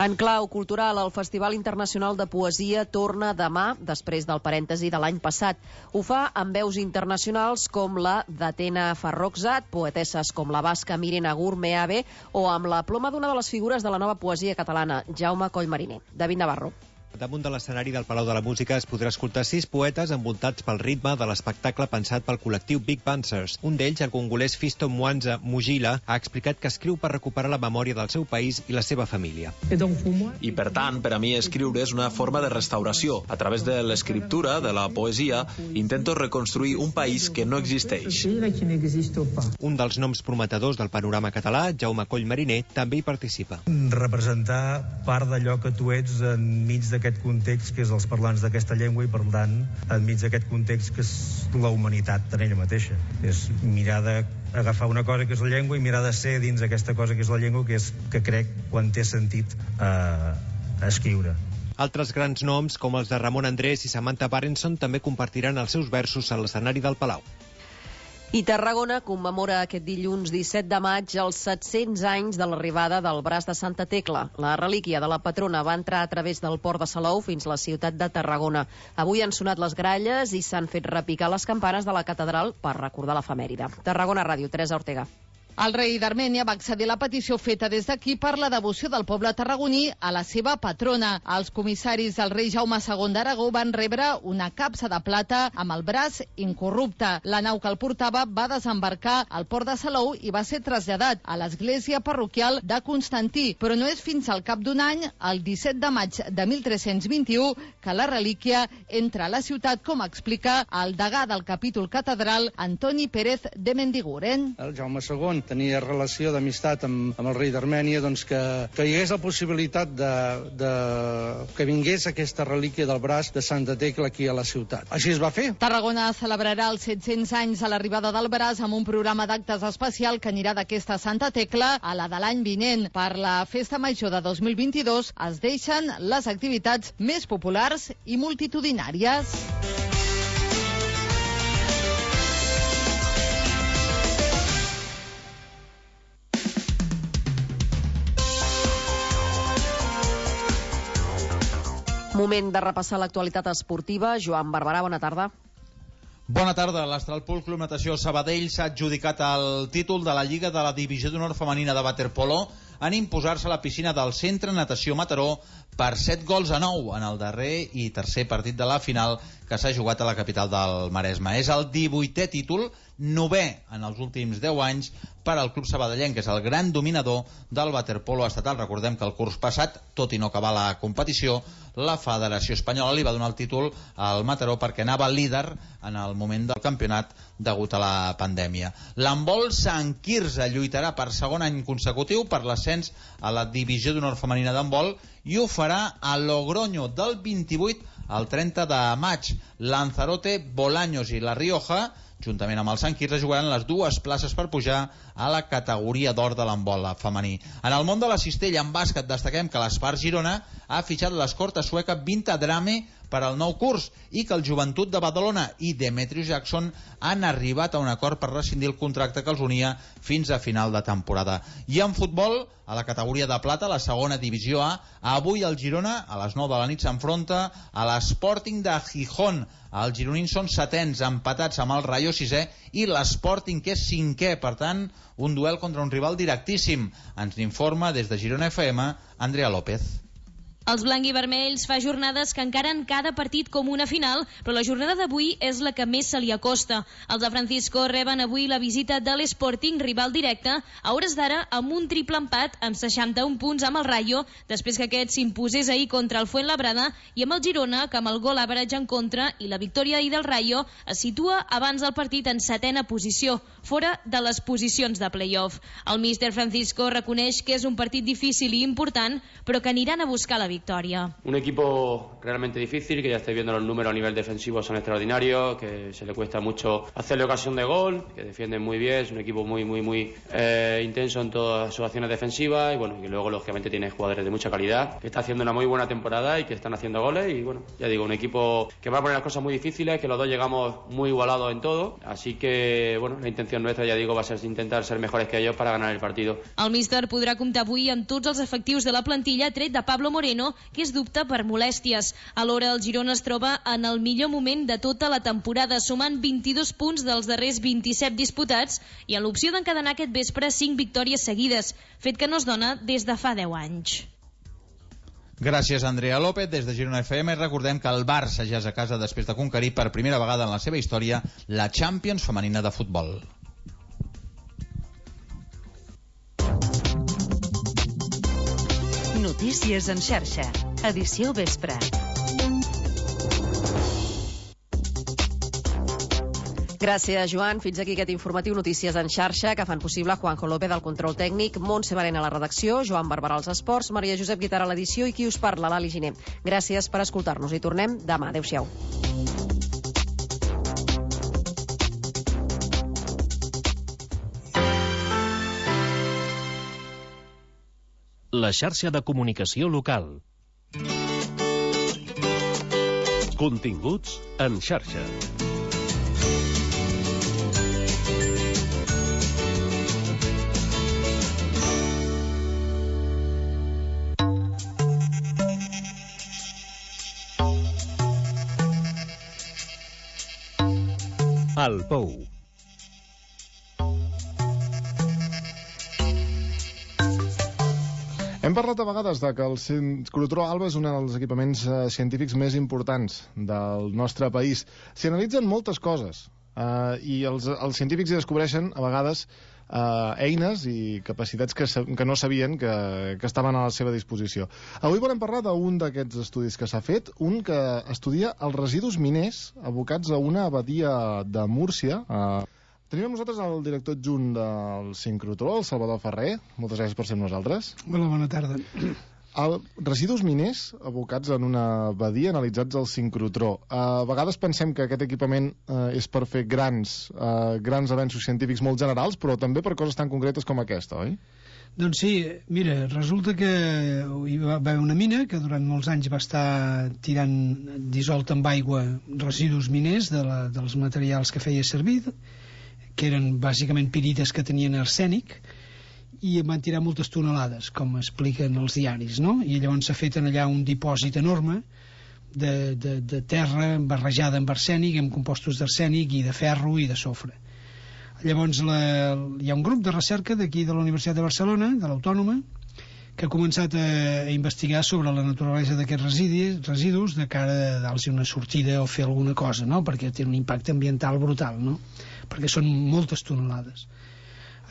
En clau cultural, el Festival Internacional de Poesia torna demà, després del parèntesi de l'any passat. Ho fa amb veus internacionals com la d'Atena Farrokhzad, poetesses com la basca Miren Agur Meave o amb la ploma d'una de les figures de la nova poesia catalana, Jaume Collmariner. David Navarro. Damunt de l'escenari del Palau de la Música es podrà escoltar sis poetes envoltats pel ritme de l'espectacle pensat pel col·lectiu Big Bansers. Un d'ells, el congolès Fisto Mwanza Mujila, ha explicat que escriu per recuperar la memòria del seu país i la seva família. I per tant, per a mi escriure és una forma de restauració. A través de l'escriptura, de la poesia, intento reconstruir un país que no existeix. Un dels noms prometedors del panorama català, Jaume Collmariner, també hi participa. Representar part d'allò que tu ets enmig d'aquest context que és els parlants d'aquesta llengua i, per tant, enmig d'aquest context que és la humanitat en ella mateixa. És mirar d'agafar una cosa que és la llengua i mirar de ser dins aquesta cosa que és la llengua, que és que crec quan té sentit eh, escriure. Altres grans noms, com els de Ramon Andrés i Samantha Barenson, també compartiran els seus versos a l'escenari del Palau. I Tarragona commemora aquest dilluns disset de maig els set-cents anys de l'arribada del braç de Santa Tecla. La relíquia de la patrona va entrar a través del port de Salou fins a la ciutat de Tarragona. Avui han sonat les gralles i s'han fet repicar les campanes de la catedral per recordar l'efemèride. Tarragona Ràdio, Teresa Ortega. El rei d'Armènia va accedir a la petició feta des d'aquí per la devoció del poble tarragoní a la seva patrona. Els comissaris del rei Jaume segon d'Aragó van rebre una capsa de plata amb el braç incorrupte. La nau que el portava va desembarcar al port de Salou i va ser traslladat a l'església parroquial de Constantí. Però no és fins al cap d'un any, el disset de maig de mil tres-cents vint-i-u, que la relíquia entra a la ciutat, com explica el degà del capítol catedral, Antoni Pérez de Mendiguren. El Jaume segon tenia relació d'amistat amb, amb el rei d'Armènia, doncs que, que hi hagués la possibilitat de, de, que vingués aquesta relíquia del braç de Santa Tecla aquí a la ciutat. Així es va fer. Tarragona celebrarà els set-cents anys a l'arribada del braç amb un programa d'actes especial que anirà d'aquesta Santa Tecla a la de l'any vinent. Per la Festa Major de dos mil vint-i-dos es deixen les activitats més populars i multitudinàries. Moment de repassar l'actualitat esportiva. Joan Barberà, bona tarda. Bona tarda. L'Astralpool Club Natació Sabadell s'ha adjudicat el títol de la Lliga de la Divisió d'Honor Femenina de Waterpolo en imposar-se a la piscina del Centre Natació Mataró per set gols a nou en el darrer i tercer partit de la final que s'ha jugat a la capital del Maresme. És el divuitè títol, novè en els últims deu anys per al club sabadellenc, que és el gran dominador del waterpolo estatal. Recordem que el curs passat, tot i no acabar la competició, la Federació Espanyola li va donar el títol al Mataró perquè anava líder en el moment del campionat degut a la pandèmia. L'handbol Sant Quirze lluitarà per segon any consecutiu per l'ascens a la divisió d'honor femenina d'handbol i ho farà a Logroño del vint-i-vuit al trenta de maig. Lanzarote, Bolaños i La Rioja, juntament amb el Sant Quirze, jugaran les dues places per pujar a la categoria d'or de l'handbol femení. En el món de la cistella, en bàsquet, destaquem que l'Espar Girona ha fitxat l'escorta sueca Vinta Drame per al nou curs i que el Joventut de Badalona i Demetrius Jackson han arribat a un acord per rescindir el contracte que els unia fins a final de temporada. I en futbol, a la categoria de plata, la segona divisió A, avui el Girona a les nou de la nit s'enfronta a l'Sporting de Gijón. Els gironins són setens, empatats amb el Rayo sisè i l'Sporting, que és cinquè. Per tant, un duel contra un rival directíssim. Ens n'informa des de Girona F M, Andrea López. Els blanc i vermells fa jornades que encaren cada partit com una final, però la jornada d'avui és la que més se li acosta. Els de Francisco reben avui la visita de l'Sporting, rival directe, a hores d'ara amb un triple empat amb seixanta-un punts amb el Rayo, després que aquest s'imposés ahir contra el Fuenlabrada, i amb el Girona, que amb el gol average en contra i la victòria ahir del Rayo, es situa abans del partit en setena posició, fora de les posicions de play-off. El míster Francisco reconeix que és un partit difícil i important, però que aniran a buscar la victoria. Un equipo realmente difícil, que ya estáis viendo los números a nivel defensivo son extraordinarios, que se le cuesta mucho hacerle ocasión de gol, que defienden muy bien, es un equipo muy muy muy eh, intenso en todas sus acciones defensivas y bueno, que luego lógicamente tiene jugadores de mucha calidad, que está haciendo una muy buena temporada y que están haciendo goles y bueno, ya digo, un equipo que va a poner las cosas muy difíciles, que los dos llegamos muy igualados en todo, así que bueno, la intención nuestra, ya digo, va a ser intentar ser mejores que ellos para ganar el partido. El míster podrà comptar avui amb tots els efectius de la plantilla, tret de Pablo Moreno, que és dubte per molèsties. Alhora, el Girona es troba en el millor moment de tota la temporada, sumant vint-i-dos punts dels darrers vint-i-set disputats i en l'opció d'encadenar aquest vespre cinc victòries seguides, fet que no es dona des de fa deu anys. Gràcies, Andrea López. Des de Girona F M recordem que el Barça ja és a casa després de conquerir per primera vegada en la seva història la Champions femenina de futbol. Notícies en xarxa. Edició vespre. Gràcies, Joan. Fins aquí aquest informatiu Notícies en xarxa que fan possible Juanjo López al control tècnic, Montse Barena a la redacció, Joan Barberà als esports, Maria Josep Guitar a l'edició i qui us parla, l'Ali Giner. Gràcies per escoltar-nos i tornem demà. Adéu-siau. La xarxa de comunicació local. Continguts en xarxa. El Pou. Hem parlat a vegades de que el sincrotró Alba és un dels equipaments eh, científics més importants del nostre país. S'hi analitzen moltes coses eh, i els, els científics hi descobreixen a vegades eh, eines i capacitats que, que no sabien que, que estaven a la seva disposició. Avui volem parlar d'un d'aquests estudis que s'ha fet, un que estudia els residus miners abocats a una abadia de Múrcia. Eh, Tenim amb nosaltres el director adjunt del sincrotró, el Salvador Ferrer. Moltes gràcies per ser amb nosaltres. Hola, bona tarda. El, residus miners abocats en una badia analitzats al sincrotró. A vegades pensem que aquest equipament eh, és per fer grans, eh, grans avenços científics molt generals, però també per coses tan concretes com aquesta, oi? Doncs sí, mira, resulta que hi va haver una mina que durant molts anys va estar tirant dissolt amb aigua residus miners de la, dels materials que feia servir, que eren bàsicament pirites que tenien arsènic, i van tirar moltes tonelades, com expliquen els diaris, no? I llavors s'ha fet allà un dipòsit enorme de, de, de terra barrejada amb arsènic, amb compostos d'arsènic i de ferro i de sofre. Llavors la, hi ha un grup de recerca d'aquí de la Universitat de Barcelona, de l'Autònoma, que ha començat a, a investigar sobre la naturalesa d'aquests residus, residus de cara a dar-los una sortida o fer alguna cosa, no? Perquè té un impacte ambiental brutal, no? Perquè són moltes tonelades.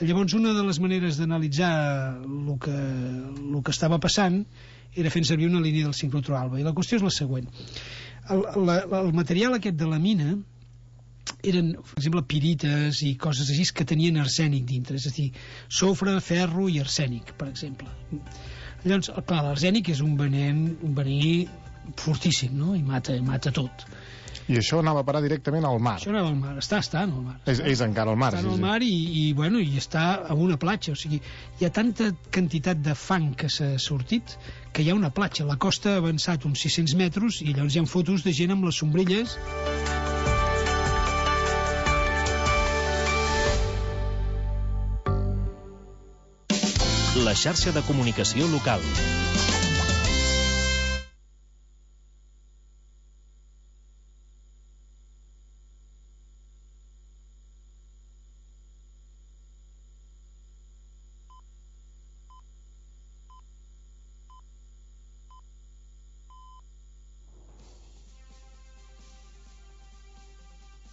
Llavors, una de les maneres d'analitzar el que, el que estava passant era fent servir una línia del sincrotró-alba. I la qüestió és la següent. El, la, el material aquest de la mina eren, per exemple, pirites i coses així que tenien arsènic dintre, és a dir, sofre, ferro i arsènic, per exemple. Llavors, clar, l'arsènic és un venent, un venení fortíssim, no? I mata, mata tot. I això anava a parar directament al mar. Això anava al mar, està, està en el mar. És, és encara al mar. Està sí, al sí. mar i, i, bueno, i està a una platja, o sigui, hi ha tanta quantitat de fang que s'ha sortit que hi ha una platja. La costa ha avançat uns sis-cents metres i llavors hi ha fotos de gent amb les sombrelles. La xarxa de comunicació local.